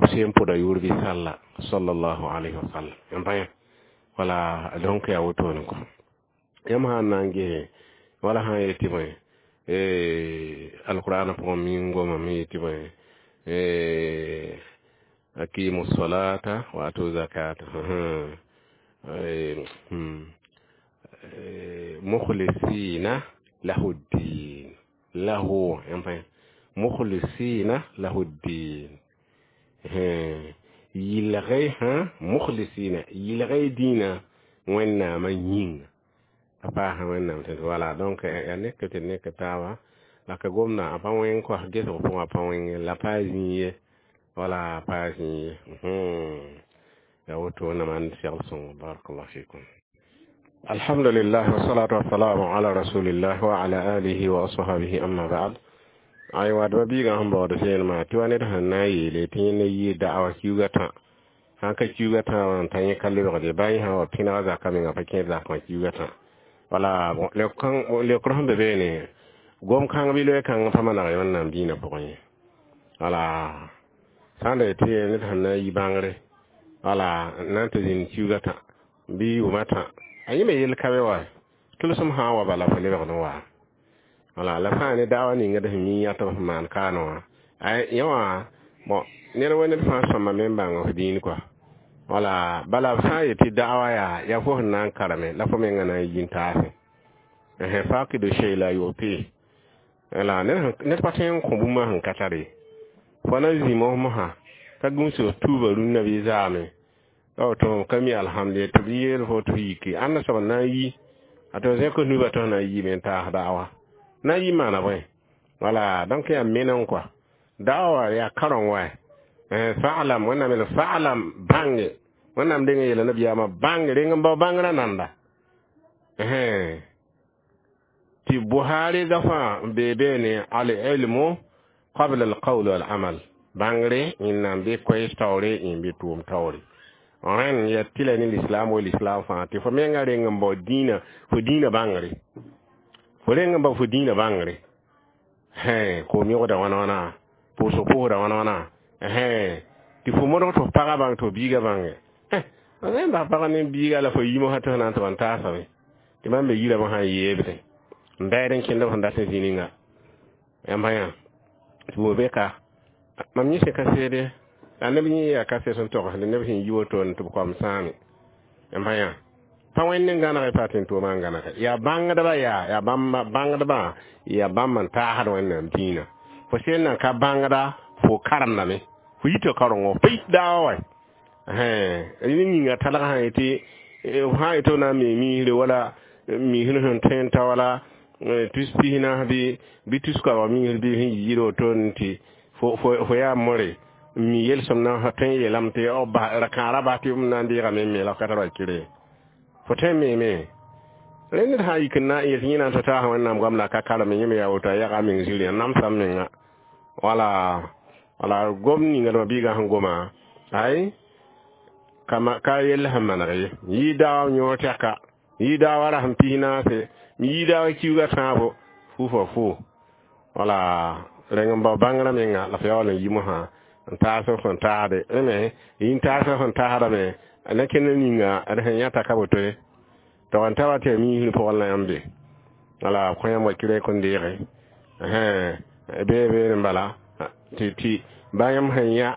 b seen pʋda yʋʋr bɩ salla sallallahu alayhi wa sallam. Yãmb pa yã wala donc yaa wotone kɔ yãmb sã n na n ges wala sã n yetɩ bõe alqur'ana pʋgẽ min gomame yetɩ bõe aqimu salata wa atu zakata mukhlisina lahu ddin lahu yãmb pa yã mukhlisina lahu ddin yɩlge hã mukhlisina yɩlge dĩinã Wẽnnaamã yĩnga a paasa Wẽnnaam tɩ wala donc yaa nek tɩ nek taaba la ka gomda a pa wẽng kos gesg pʋgã pa wẽng la pa zĩig ye wala pa zĩig ye yaa woto wẽnnaam ãnd segl sõngo. Barakallahu fikum. Alhamdulillah wassalatu wassalamu ala rasulillah wa ala alihi wa ashabihi amma ba'd. Aywa dba biigã sẽn baood vẽenemã tɩ wa ned sẽn na n yeele tɩ yẽnd yɩ da'awa kiuugã tã sãn ka kiuugã tã wã n ta yẽ ka lebgde baa yẽ sã wa pẽnega zakã menga pa kẽed zakã kiuugã tã wala leokr sẽn be beene gom kãng bɩ loe kãng pa maneg Wẽnnaam dĩinã pʋgẽ ye wala sã n da yetɩ ned sẽn na n yi bãngre wala n na n tɩ zĩnd kiuugã tã bɩ yʋʋmã tã a yẽ me yell ka be wa tʋlsem sã n wa bala fo lebgd n wa wala la fãa ne daawa ninga d sẽn mi yãtb sẽn maan kaane wã yẽ wã bon ned wa ned fãa sõma me n bãng f dĩin kɔa wala bala b sã n yetɩ da'awa yaa yaa fo sẽn na n kareme la fo menga na n yi n taase fakidu shay la yu'ti wala ned pa tõe n kõ bũmb sẽn ka tare fo na zĩ mos mosã ka gũus f tuuba rũnnã bɩ zaame tɩ ka mi alhamdulillah tɩ b yeel fo tɩ f yiki ãnda soab n na n yi a tɩ zẽk nuba tɩ f na n yiime n taas da'awa na n yi maana bõe wala donc yaa meneng kɔa da'awa yaa kareng wa fa'lam Wẽnnaam yeel fa'lam bãnge Wẽnnaam deng n yeela nabiyaamã bãnge reng n bao bãngrã nanda tɩ Buhari gafã n bee beene al-ilmu qabla al-qawl wal-amal bãngre yẽnnaam bɩ koɛɛs taoore yẽ bɩ tʋʋm taoore rẽn ya tɩla ne l'islam wa l'islam fãa tɩ fo menga reng n bao dĩinã fo dĩinã bãngre fo reng n bao fo dĩinã bãngre koom yõgda wãna wãna pʋʋsg pʋʋsda wãna wãna tɩ fo modg tɩ f pagã bãng tɩ f biigã bãnge n bas pag ne biiga la fo yi mosã tɩ f na n tɩ ban taasame tɩ mam be yirame sã n yeebdẽ n baɛd n kẽnd f sẽn dat n zĩ ninga yãmb yã tɩ bo be ka mam yẽ sẽn kaseede la neb yẽ yaa kaset sẽn togsd neb sẽn yi wotone tɩ b koam sãame yãmb yã pa wẽnd n gãnege pa tɩ n tʋʋma n gãnege yaa bãngdbã yaa yaa bãngdbã yaa bãmb n taasd Wẽnnaam dĩinã fo sẽn nan ka bãngda fo karemdame fo yita karengo fo yit daawa wa ne yĩnga talg sã yetɩ sã n yetɩ f na n me miisre wala miisr sẽn tõe n ta wala tus pis naas bɩ bɩ tus koabg miisr bɩ sẽn yiid wotone tɩ fo yaa more n mi yelsem na tõe n yeelame tɩ ra-kãara bas tɩ m na n deegame n me la f ka tar wa kɩre fo tõe n meeme rẽ ned sã n yik n na n yet yẽ na n tɩ taas Wẽnnaam goam la ka kareme yẽ me yaa woto a yaga meng zĩri a namsa menga wala wala gom ninga dãmba biigã sẽn goma ay kama ka yell sẽn maneg ye yɩ daawa yõor tɛka yɩ daawa rasem pis naase yɩ daawa kiuugã tãabo fo Fu fo fu wala rẽng n bao bãngrã menga la f yaool n yi mosã n taas f sẽn taasde me yĩn taas f sẽn taasdame na kẽnd ninga d sẽn yãta ka woto ye tog n ta wa tɩ yaa miisr pʋgẽ la yãmb be wala kõ yãmb wa kɩrɛ kõn deege bee beene n bala tɩ tɩ ba yãmb sẽn yã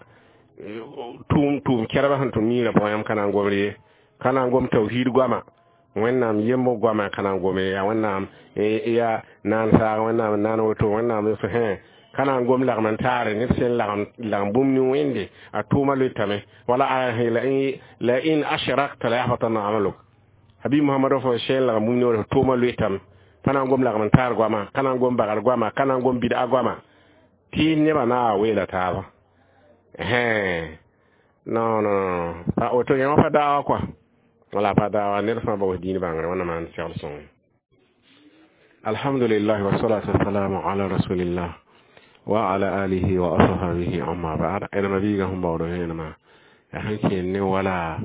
tʋʋm tʋʋm kɛrbã sẽn tʋm niirã pʋgẽ yãmb ka na n gomd ye ka na n gom tawhiid goama wẽnnaam yemb goama ka na n gome yaa wẽnnaam yaa naan saag wẽnnaam naan woto wẽnnaam hẽ ka na n gom lagm n taare ned sẽn lagm lagm bũmb ne wẽnde a tʋʋma loetame wala aya la in ashrakta la yahbatanna amaluk habib muhammad fo sẽn lagm bũmb ne woto tʋʋma loetame pa na n gom lagm n taar goama ka na n gom bagr goama ka na n gom bid'a goama tɩ nebã na a weela taaba non non pa woto yã wã pa daawa kɔa wala pa daawa ned fãa baoos diin bãngre wẽnnaam maan segl sõngo alhamdulillah wasalatu wassalamu ala rasulillah wa ala alihi wa ashabihi amma ba'd ẽnema biigã sẽn baood vẽenemã yaa sẽn kẽen ne wala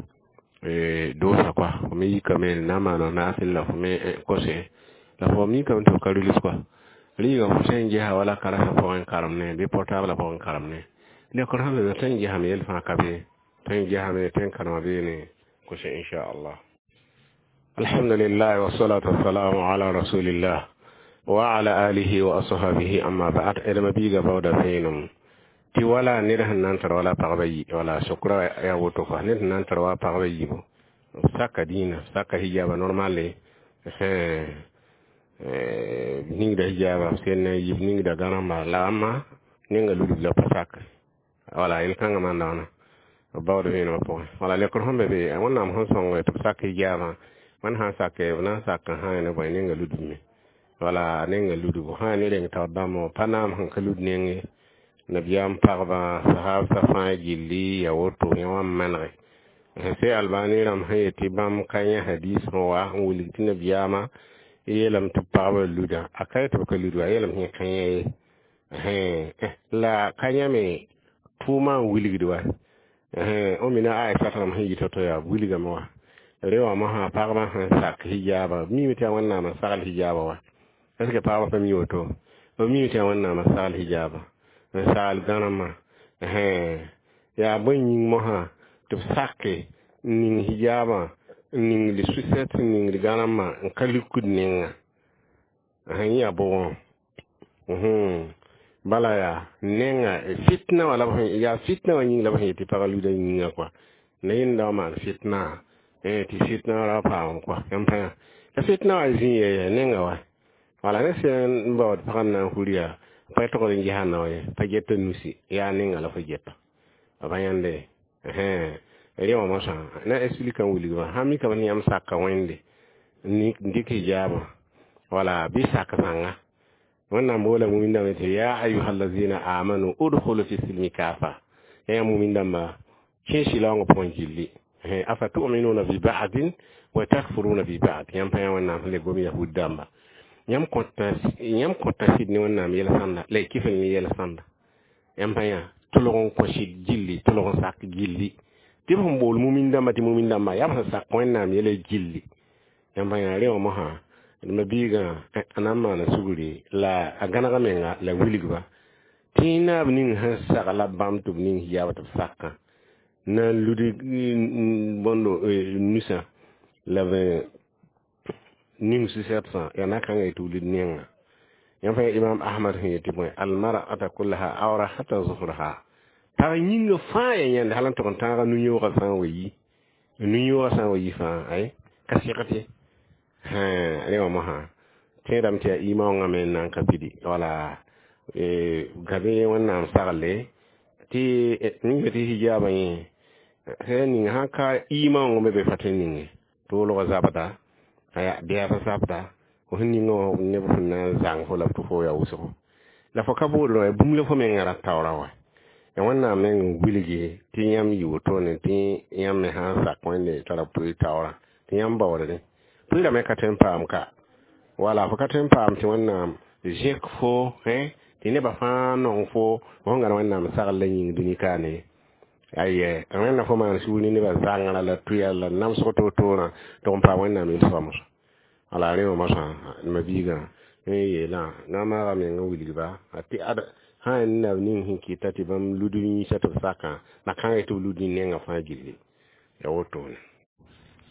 doosa kɔa fo me yikame na n maan naasel la fo me kose la fo mikame tɩ f ka rʋls kɔa riiga fo sẽn gesa wala karasã pʋgẽ karem ne bɩ portable pʋgẽ karem ne lekr sẽn be tõe n gesame yel fãa ka be tõe n gesame tõe n karema beene kose inchallah alhamdulillah wasalatu wassalamu ala rasulillah wa ala alihi wa ashabihi amma ba'd edma biiga baooda vẽenem tɩ wala ned sẽn na n tar wala pagba yi wala sokra yaa woto kɔa ned sẽn na n tar wa pagba yiibu saka dĩinã saka hijaba normale ningda hijaba sẽn yib ningda gãrãmba la ãmba ninga ludb la pa sak wala yel-kãngã maan daoona b baood vẽenemã pʋgẽ wala lekr sẽn be be wẽnnaam sẽn sõng tɩ b sak hijaabã wẽnd sã n sake b na n sak n sã ne bõe ninga ludbme wala ninga ludbo sã ne reng taoor dãmb pa naam sẽn ka lud nenge nabiyaam pagba sahabsã fãa gilli ya woto yẽ wã n manege sẽn albani rãmb sẽn yet tɩ bãmb ka yã hadis sẽn wa n wilg tɩ nabiyaamã yeelame tɩ pagba luda a ka yetɩ b ka lud wa a yeelame tɩ ka yã ye la ka yãme tʋʋmã n wilgd wa o mina aisha rãmb sẽn yi to-to yaa wilgame wa re wã mosã pagba sẽn sak hijaaba mime tɩ yaa wẽnnaam n sagl hijaaba wa est ce que pagba pa mi woto b mime tɩ yaa wẽnnaam n sagl hijaaba n sagl gãrãmã yaa bõe yĩng mosã tɩ b sake n ning hijaabã n ningd sʋsɛt n ningd gãrãmã n ka lukd nenga yẽ yaa bʋgẽ bala yaa nenga fitna wã la b yaa fitna wã yĩng la b sẽn yet tɩ pagã luda yĩnga kɔa la yẽnda wã maan fitna tɩ fitna ra paam kɔa yãmb pa yã la fitna wã zĩ yɛ nenga wa wala ne sẽn n baood pagã n na n hur yaa pa togd n gesa nao ye pa geta nusi yaa nenga la fo geta b yãnde rẽ wã mosã na explique n wilgma sã mikame tɩ yãmb saka wẽnde n dɩk hijaabã wala bɩ sak zãnga wẽnnaam boola mumin dãmba tɩ ya ayuha allazina amanu udkhulu fi silmi kafa ya mumin dãmba kẽ sɩlaoongã pʋgẽ gilli afa tuminuna bi ba'din wa takfuruna bi ba'd yãmb pa yã wẽnnaam sẽn le gom yahud dãmba yãmb kõta yãmb kõta sɩd ne wẽnnaam yɛl-sãnda la y kɩf ne yɛl-sãnda yãmb pa yã tʋlg n kõ sɩd gilli tʋlg n sak gilli tɩ b sẽn bool mumin dãmba tɩ mumin dãmba yaa b sẽn sak wẽnnaam yɛla gilli yãmb pa yã rẽ wã mosã ma biigã a na n maana sugri la a gãneg menga la wilgba tɩ naab ning sẽn sagla bãmb tɩ b ning hijaab tɩ b sakã na n lud bõndo nusã la b ning sʋsɛtsã yaa na kãngã tɩ wilg nenga yãmb pa imam ahmad sẽn yetɩ bõe almar'ata kullaha awra hata zuhraha pag yĩnga fãa ya yãnd hal n tʋg n tãaga nu-yõogã sã n wa yi nu-yõogã sã n wa yi fãa ay ka segd ye rẽ wã mosã tẽedame tɩ yaa imaoongã me n na n ka pidi wala gabe wẽnnaam sagle tɩ ninga tɩ hijaabã yẽ sẽn ning sãn ka imaoongã me be fa tõe n ninge toolgã zabda aya bɩa zabda fo sẽn ninga wã neb sẽn na n zãng fo la tɩ fo yaa wʋsgo la fo ka boodrã wa bũmb la fo mengã ra taoora wa ya wẽnnaam meng n wilgi tɩ yãmb yɩ wotone tɩ yãmb me sã n sak wẽnde tara pʋɩ taoorã tɩ yãmb baoodre pʋɩra me ka tõe n paam ka wala fo ka tõe n paam tɩ wẽnnaam zẽk fo tɩ nebã fãa nong fo fo sẽn gãn wẽnnaam sagl la yĩng dũni kaane aye wẽnna fo maan sugr ne nebã zãngrã la tʋya la namsg to-toorã tɩ n paam wẽnnaam yel-soamsã wala rẽ wã mosã ma biigã n yeelã na n maaga meng n wilgba tɩ ad sã n nab ning sẽn kɩta tɩ bãmb lud yĩnsã tɩ b sakã na kãngẽ tɩ b lud nengã fãa gilli ya wotone.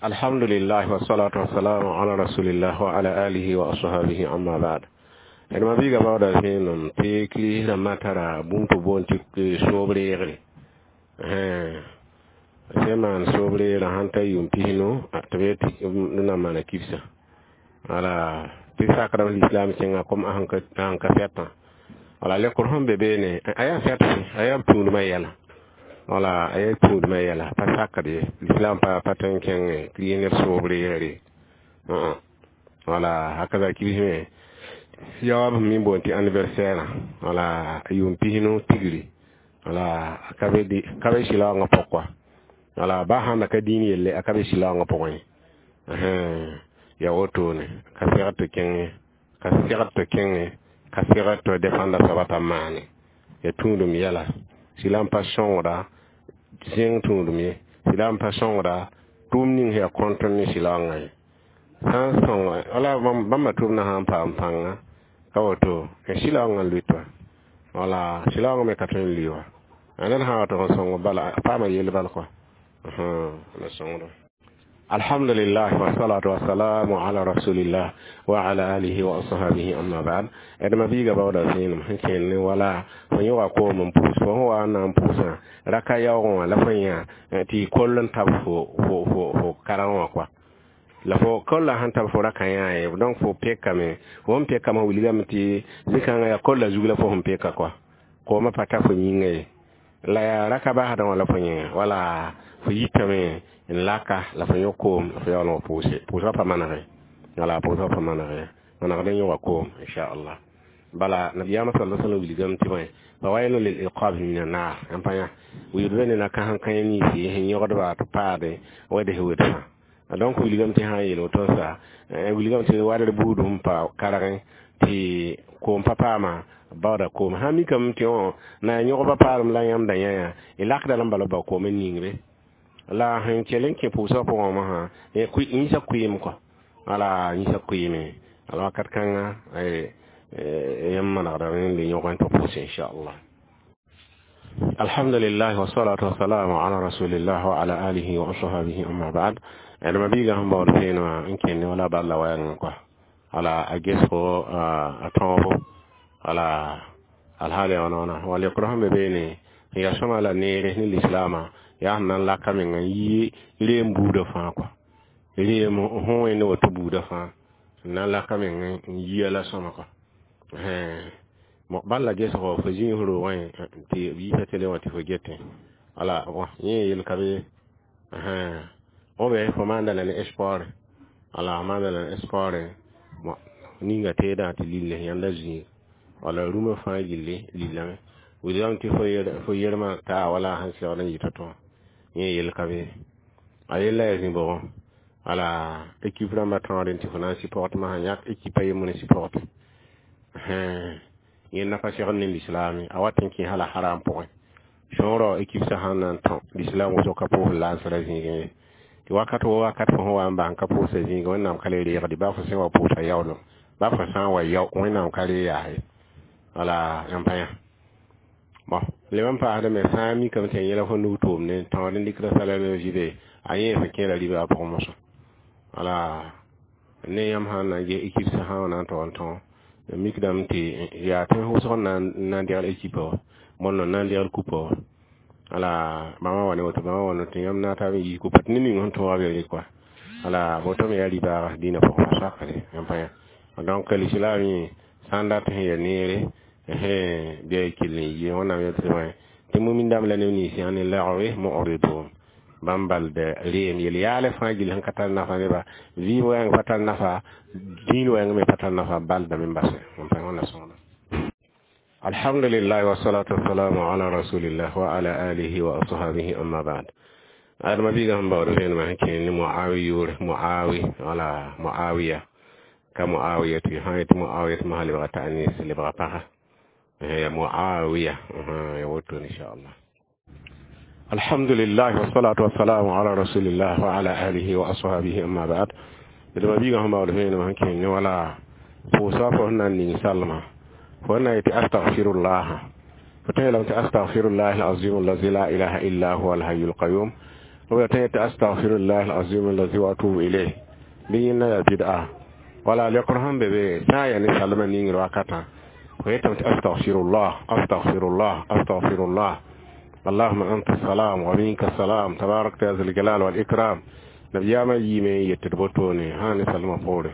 Alhamdulillah, wassalatu wassalamu ala rasulillah wa ala alihi wa ashabihi, amma ba'd. D ma biiga baooda vẽenem tɩ kirist rãmbã tara bũmb tɩ boond tɩ soob reegre sẽn maan soob reegrã sãn ta yʋʋm pisnu tɩ b yet d na n maana kibsã wala tɩ sakdame l'islam kẽnga kom sẽn ka fɛtã wala lekr sẽn be beene a yaa fɛt a yaa tũudmã yɛla wala a yaa tũudmã yɛla pa sakd ye l'islam pa pa tõe n kẽng kirist neb soob reegre wala hakaza kibs me yaoab sẽn mi boond tɩ anniversaire wala yʋʋm pisnu tigri wala a ka be sɩlaoongã pʋg kɔa wala ba sãn da ka dĩin yelle a ka be sɩlaoongã pʋgẽ ya wotone ka segd tɩ kẽngẽ ka segd tɩ kẽngẽ ka segd tɩ dẽfanda soaba t'a maane ya tũudum yɛla sɩla n pa sõngda zẽng tũudum ye sɩla n pa sõngda tʋʋm ning sẽn yaa kõnt ne sɩlaoongã ye sã n sõng wala bãmba tʋʋmdã sã n paam pãnga ka woto sɩlaoongã n lʋɩt wa wala sɩlaoongã me ka tõe n lʋɩ wa ned sã n wa tɩ n sõng bala a paama yell bal kɔa la sõngda. Alhamdulillah, wassalatu wassalamu ala rasulillah wa ala alihi wa ashabihi, amma ba'd. D ma biiga baooda vẽenem sẽn kẽnd ne wala fo yõga koom n pʋʋs fo sẽn wa n na n pʋʋsã raka yaoogẽ wã la fo yã tɩ koll n tab fo fo fo fo karẽ wã kɔa la fo kolla sãn tab fo raka yã ye donc fo pekame fo sẽn pekame wilgame tɩ zĩ-kãngã yaa kolla zug la fo sẽn peka kɔa koomã pa ta fo yĩnga ye la yaa raka basdã wã la fo yẽ wala fo yitame n laka la fo yõ koom la fo yaool n pʋʋse pʋʋsgã pa manege wala pʋʋsgã pa manege manegd n yõga koom inchallah bala nabiyaamã sala sallam wilgame tɩ bõe fawailu lil iqab min annar n pa yã wilg be ne na kãsem kãe ninsi sẽn yõgdba tɩ paade wɛds wʋdsã donc wilgame tɩ sã n yeel woto sa wilgame tɩ wadr buud sẽn pa kargẽ tɩ koom pa paama baooda koom sã mikame tɩ wã na yaa yõgba paalem la yãmb da yã yã y lakda la n bala bao koom n ningre la sẽn kell n kẽ pʋʋsgã pʋgẽ wã yĩsã kʋɩɩm kɔa wala yĩsã kʋɩɩme ala wakat kãnga yãmb manegdame n le yõg n tɩ pʋʋse inchallah. Alhamdulillah, wassalatu wassalamu ala rasulillah wa ala alihi wa ashabihi, amma ba'd. D ma biiga sẽn baood vẽenem wã n kẽnd wala balla wɛɛngẽ kɔa wala a gesgo a tõobo wala alhaal yaa wãna wãna wala yokr sẽn be beene n yaa sõma la neere ne lislaamã yaa sẽn na n laka meng n yi reem buudã fãa kɔa reem sẽn wẽnd woto buudã fãa n na n laka meng n yia la sõma kɔa bal la gesgo fo zĩis roogẽ tɩ b yiisa tele wã tɩ fo getẽ wala yẽ yel ka be obe fo maanda la ne sport wala maanda la ne sport ninga teedã tɩ lille yãnda zĩig wala rũmã fãa gilli lillame wilgame tɩ fo yermã taa wala sẽn segd n yɩ to yẽ yel ka be a yella yaa zĩ bʋgẽ wala équipe rãmbã tõodẽ tɩ fo na n supporte masã yãk équipe a yembr n supporte yẽnda pa segd ne lislaame a wat n kẽ hala haram pʋgẽ sõorã équipe sã sãn na n tõ lislaam wʋsg ka pʋʋs lansrã zĩigẽ ye tɩ wakat wo wakat fo sẽn wa n bas n ka pʋʋsa zĩigẽ wẽnnaam ka le reegde ba fo sẽn wa pʋʋsa yaoolem ba fo sã n wa yao wẽnnaam ka re yaase wala yãmb pa yã bon leb n paasdame sã n mikame tɩ yẽla fo nug tʋʋmde tõod n dɩkda salaire vɩbe a yẽ fo kẽera ribã pʋgẽ mosã wala ne yãmb sãn na n ges équipe sã sã na n tog n tõ mikdame tɩ yaa tɩ wʋsg n na n degl équipe wã bõnd n na n degl kupa wã wala bãmba wa ne woto bãmba wa ne tɩ yãmb na tab n yiis kupa tɩ ned ning sẽn tõoga be kɔa wala woto me yaa ribaaga dĩinã pʋgẽ pa sakre yãmb pa yã donc l'islam yẽ sã n dat sẽn ya neere bɩ a kell n yɩ wẽnnaam yel tɩ tɩ mumin dãmb la neb nins yã ne lagre mu'ridun bãmb bald reem yel yaale fãa gill sẽn ka tar nafa neba vɩɩm wɛɛng pa tar nafa dĩin wɛɛng me pa tar nafa baldame n basɛ n pa wẽnna sõngda. Alhamdulillah, wassalatu wassalamu ala rasulillah wa ala alihi wa ashabihi, amma ba'd. Adama biiga sẽn baood vẽenemã sẽn kẽe ne muawi yʋʋre muawi wala muawiya ka muawiya tɩ sã n yetɩ muawiya tɩ mosã lebga ta'anis lebga pagã ya muawiya ya woto inchallah. Alhamdulillah, wassalatu wassalamu ala rasulillah wa ala alihi wa ashabihi, amma ba'd. Adama biiga sẽn baood vẽenemã sẽn kẽe ne wala Pʋʋsa fo sẽn na n ning salma fo na yetɩ astaghfirullah fo tõe yeelame tɩ astaghfirullah alazim allazi la ilaha illa huwa alhayyul qayyum b la tõe yetɩ astaghfirullah alazim allazi wa atubu ilayh bɩ yẽnda yaa bid'a wala lekr sẽn be be sã n yaa ne salma ningr wakatã fo yetame tɩ astaghfirullah astaghfirullah astaghfirullah اللهم أنت السلام ومنك السلام تبارك يا ذا الجلال والإكرام نبياما يمي يتدبطوني هاني سلمى فوري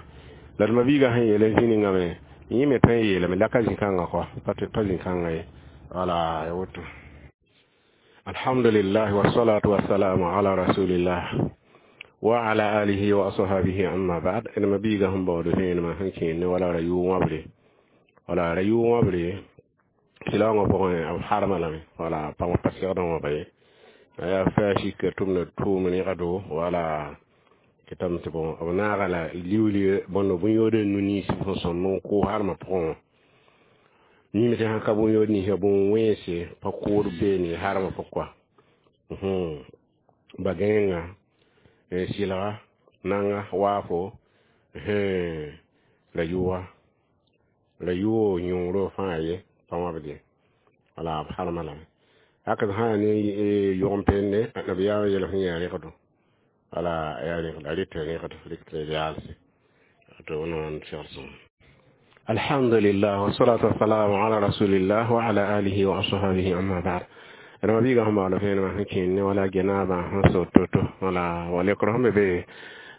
la d mabiigã sẽn yeele zĩ-ningame yẽ me tõe n yeelame la ka zĩ-kãngã kɔa pa zĩ-kãngã ye wala ya woto alhamdulillah wassalatu wassalamu ala rasulillah wa ala alihi wa ashabihi amma ba'd d mabiigã sẽn baood vẽenemã sẽn kẽer ne wala ra yʋ-wãbre wala ra yʋ-wãbre silaoongã pʋgẽ b harma lame wala pãng pa segdẽ wãba ye yaa fɛa sika tʋmda tʋʋm rẽgdo wala tɩ tɩ bõ b naaga la liuuli bõnd bõn-yood n nu-niins sẽn sõmb n kʋʋs harmã pʋgẽ wã yĩm tɩ sãn ka bõn-yood ninsã bõn-wẽnse pa kʋʋd beene harmã pʋg kɔa ba-gãenga sɩlga nanga waafo ra yʋʋga ra yʋʋg yõoro fãa ye pa wãbd ye wala b harma lame haka sã yaa ne yʋgem-pende nabiyaamã yel sẽn yaa rẽgdo wala yaa rẽgd a rɩta rẽgd rɩk yaalse to wẽnnaam segd sõm alhamdulillah wassalatu wassalamu ala rasulillah wa ala alihi wa ashabihi amma ba'd rãmba biigã sẽn baood vẽenemã sẽn kẽer ne wala genaabã sẽn so to-to wala wa lekr sẽn be be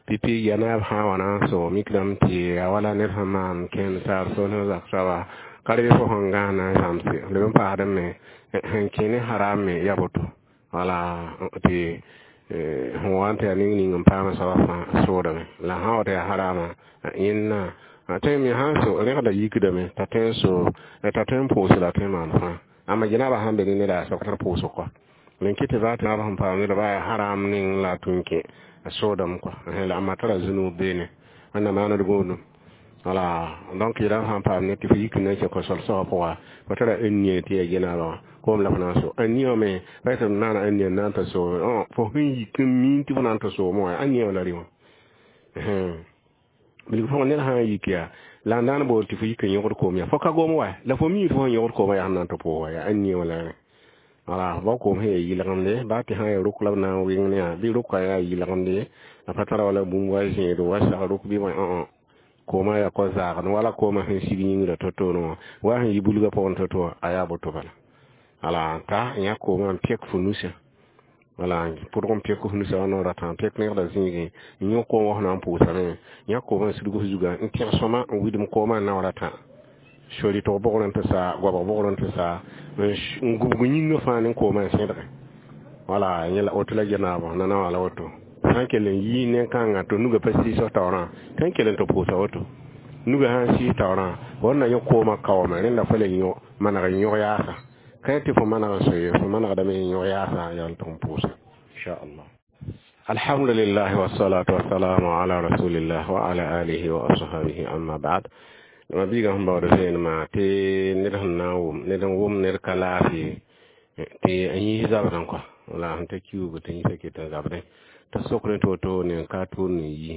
pipi genaab sã n wa na n so mikdame tɩ a wala ned sẽn maan kẽnd saar so ne zak soaba ka rebe fo sẽn gãs na n zãmse leb n paasdẽ me sẽn kẽ ne haram me ya boto wala tɩ sẽn wa n tɩ yaa ning ning n paam soaba fãa soodame la sã wa tɩ yaa harama yẽnna tõe me sãn so rẽgda yikdame t'a tõe n so t'a tõe n pʋʋs la tõe n maan fãa amma genaabã sãn be ne neda soab tar pʋʋsg kɔa n kɩ tɩ baa tɩ naabã sẽn paam neda baa yaa haram ning la a tũ n kẽ a soodame kɔa la amma tara zũnug beene wẽnnaam maand gũudum wala donc yẽla sãn paam ne tɩ fo yik n na n kẽ kosol soabã pʋga fo tara n nie tɩ yaa genaabã wã koom la fo na n so a nie wã me pa tɩ b naana n nie n na n ta soome fo sẽn yik n miin tɩ fo na n ta soome wã a nie wã la rɩ wã bilg pʋgẽ ned sã n yik yaa la n daan bool tɩ fo yik n yõgd koom yaa fo ka gom wa la fo mi tɩ fo sẽn yõgd koomã yaa sẽn na n tɩ pʋʋs wa yaa a nie wã la rẽ wala bao koom sẽn yaa yɩlgemde baa tɩ sã n yaa rʋk la b na n wɩng ne yaa bɩ rʋka yaa yɩlgemde a pa tara wala bũmb wa zẽedo wa sag rʋk bɩ bõe koomã yaa kɔ zaagd wala koomã sẽn sig yĩngrã to-toore wã wa sẽn yi bulgã pʋgẽ to-to wã a yaa boto bala wala ta yã koomã n pɛk fo nusã wala pʋdg n pɛk f nusã wa noor tã n pɛk rẽgda zĩigẽ n yõ koom wã fo na n pʋʋsame yã koomã n sidg f zugã n tẽg sõma n widm koomã n naoor a tã sori-tog bʋgrẽ tɩ sa goabg bʋgrẽ tɩ sa n gubg yĩngã fãa ne koomã n sẽdgẽ wala yẽ la woto la genaabã nana wã la woto sã n kell n yi nen-kãngã tɩ nugã pa sɩɩs f taoorã tɩ n kell n tɩ pʋʋsa woto nugã sã n sɩɩs taoorã fo na yõ koomã kaoome rẽnda fo le yõ maneg n yõg yaasa ka tɩ fo maneg n so ye fo manegdame n yõg yaasa yaa tɩ n pʋʋsa inchallah alhamdulillah wassalatu wassalamu ala rasulillah wa ala alihi wa ashabihi amma ba'd ma biigã sẽn baood vẽenemã tɩ ned sẽn na n wʋm ned n wʋm ned ka laafɩ tɩ a yĩs zabdẽ kɔa wala sẽn ta kiuugu tɩ yĩsã ket n zabdẽ t'a sokd tɩ woto ne n ka tʋʋr ne yi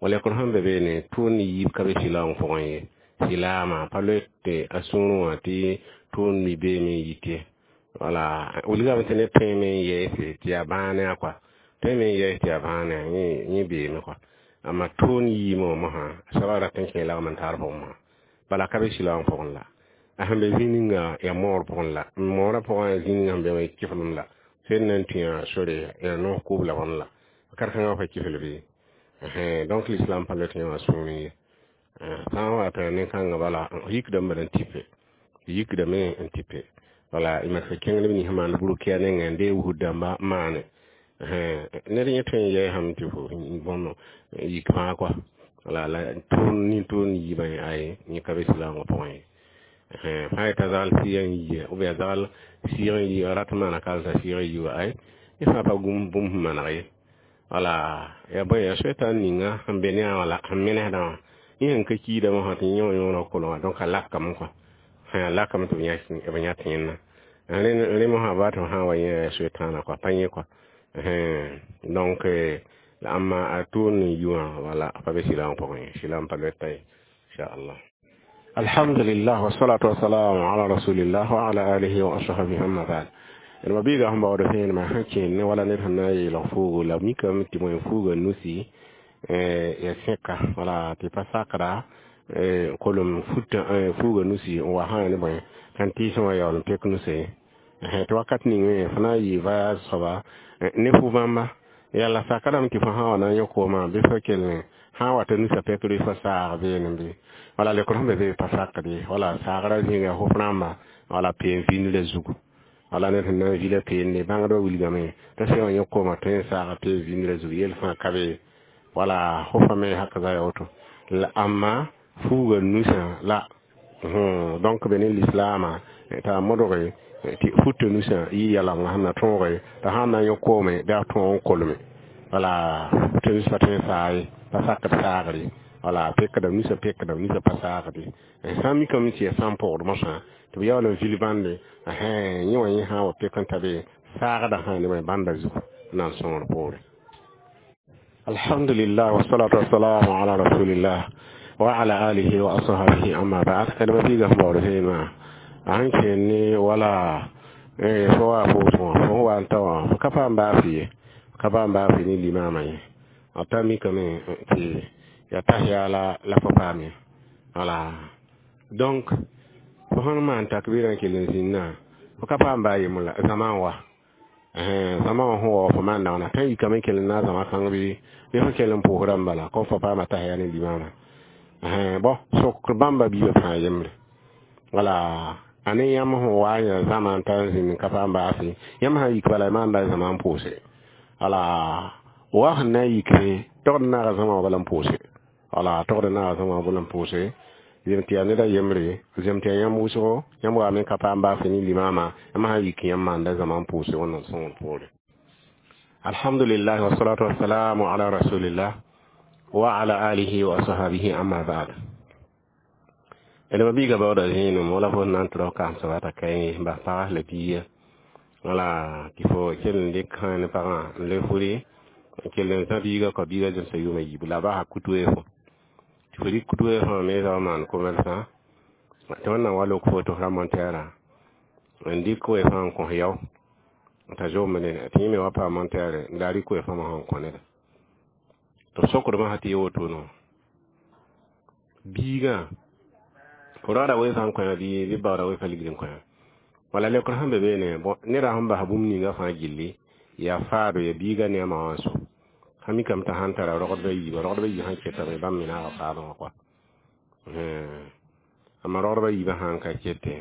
wa lekr sẽn be beene tʋʋr ne yiib ka be silaam pʋgẽ ye silaamã pa loe tɩ a sũurẽ wã tɩ tʋʋr mi beeme n yit ye wala wilgame tɩ ned tõeme n yɛɛse tɩ yaa bãane a kɔa tõeme n yɛɛs tɩ yaa bãane yẽ beeme kɔa amma tʋʋr yiimã wã mosã soabã rat n kẽ lagm n tar pʋgẽ mosã bala ka be silaam pʋgẽ la a sẽn be zĩ ninga yaa moor pʋgẽ la moorã pʋgẽ zĩ ninga sẽn be wã kɩflem la sẽn na n tũ sore yaa noos kʋʋb la wãn la kar-kãngã pa kɩfl bɩ donc l'islam pa loe tɩ yã wã sũurẽ ye sã n wa tɩ nen-kãngã bala yikdame bala n tipe yikdame n tipe wala y mak kẽng neb nins maan burkɩ a nengẽ n dee wusd dãmba maane ned yẽ tõe n yɛɛsame tɩ fo bõn yik fãa kɔa wala la tʋʋn nin-tʋʋn yiibã ay yẽ ka be silaamã pʋgẽ ye fãa yeta zagal sɩɩg n yia ou bien zagal sɩɩg n yi rat n maana kal t'a sɩɩg n yi wa ay yẽ fãa pa gũm bũmb sẽn maneg ye wala ya bõe ya soetã ninga sẽn be ne a wã la sẽn menesdã wã yẽ sẽn ka kiidame wã tɩ yẽ wã yõora kolengã donc a lakame kɔa a lakame tɩ b yã tẽedã rẽ mosã baa tɩ f sã n wa yẽ yaa soetãana kɔa pa yẽ kɔa donc la amma a tʋʋr ne yi wã wala pa be silaam pʋgẽ ye silaam pa loe t'a ye. Inshallah. Alhamdulillah, wassalatu wassalamu ala rasulillah wa ala alihi wa ashabihi, amma ba'd. D ma biiga sẽn baood vẽenemã sẽn kẽen ne wala ned sẽn na n yeelg fuugu la mikame tɩ wẽn fuuga nusi ya sẽka wala tɩ pa sakda kolem futã fuuga nusi n wa sã ne bõe kan tɩɩsẽ wã yaool n pek nuse tɩ wakat ning me fo na n yɩ voyage soaba ne fu bãmba yala sakdame tɩ fo sã wa na n yõ koomã bɩ fo kell sã n wa tɩ nusã pekr fo saag beene bɩ wala lekr sẽn be be pa sakd ye wala saagrã zĩnga fo rãmba wala peen vĩndrã zugu wala ned sẽn na n vila peende bãngdbã wilgame t'a sã wã yõ koomã tõe n saaga peen vĩndrã zugu yel fãa ka be wala fo fa me hak za ya woto la amma fuuga nusã la donc be ne lislaamã t'a modge tɩ futa nusã yɩ yalemga sẽn na tõoge t'a sã n na n yõ koome bɩ a tõog n kolme wala futa nus pa tõe n saa ye pa sakd saagre wala pekdame nusã pekdame nusã pa saagde sã n mikame tɩ yaa sã n pʋgd mosã tɩ b yaool n vil bãnde yẽ wã yẽ sã n wa pek n ta be saagda sã ne bõe bãnda zugu n na n sõor poore. Alhamdulillah, wassalatu wassalamu ala rasulillah wa ala alihi wa ashabihi, amma ba'd. D ma biiga sẽn baood vẽenemã a sẽn kẽen ne wala fo wa foos wã fo sẽn wa n ta wã fo ka paam baafɩ ye ka paam baafɩ ne limaamã ye a ta mikame tɩ ya tahiya la la fo paam ye wala donc fo sẽn maan takbirã n kell n zĩnnã fo ka paam baa yembr la zãma n wa zãma wã sẽn wa fo maan daoona tã n yikame n kell n naag zãma kãng bɩ bɩ fo kell n pʋʋsdã n bala kom fo paama tahiya ne limaamã bõ sokr bãmba biibã fãa yembre wala a ne yãmb sẽn wa n yã zãma n ta n zĩnd n ka paam baase yãmb sã n yik bala y maanda zãma n pʋʋse wala wa sẽn na n yikre togd naaga zãma wã bala n pʋʋse wala togd naaga zãma wã bala n pʋʋse zem tɩ yaa neda yembre zem tɩ yaa yãmb wʋsgo yãmb waame ka paam baase ne limaamã yãmb sã n yik yãmb maanda zãma n pʋʋse Wẽnnaam sõngr poore. Alhamdulillah, wassalatu wassalamu ala rasulillah wa ala alihi wa ashabihi, amma ba'd. D ma biiga baooda zẽenem wala fo na n tɩ rao kaam soaba t'a kae n bas pagas la biiga wala tɩ fo kell n dɩk ne pagã n le furi n kell n zã biiga kɔ biiga zemsa yʋʋma yiibu la a basa kutu fo tɩ fo dɩk kutu fõ me zao maan commerçant tɩ Wẽnnaam wa lok fo tɩ f ra montɛɛrã n dɩk we-fã n kõs yao t'a zombre tɩ yẽ me wa paam montɛɛre n la rɩk we-fã sẽn kõ neda tɩ b sokdmã sã tɩ ye woto no biigã fo raoda we-fã n kõ bɩ bɩ baooda we-fã ligd n kõ wala lekr sẽn be beene bõ neda sẽn bas bũmb ninga fãa gilli yaa faado ya biiga ne a ma wã so sã mikame t'a sãn tara rogdba yiibã rogdba yiibã sãn ketame bãmb me naaga faadẽ wã kɔa amma rogdba yiibã sãn ka kete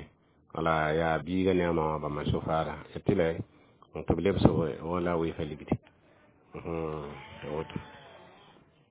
wala yaa biiga ne a ma wã bãmba so faada ya tɩ la tɩ b lebs wala we-fã ligdi woto.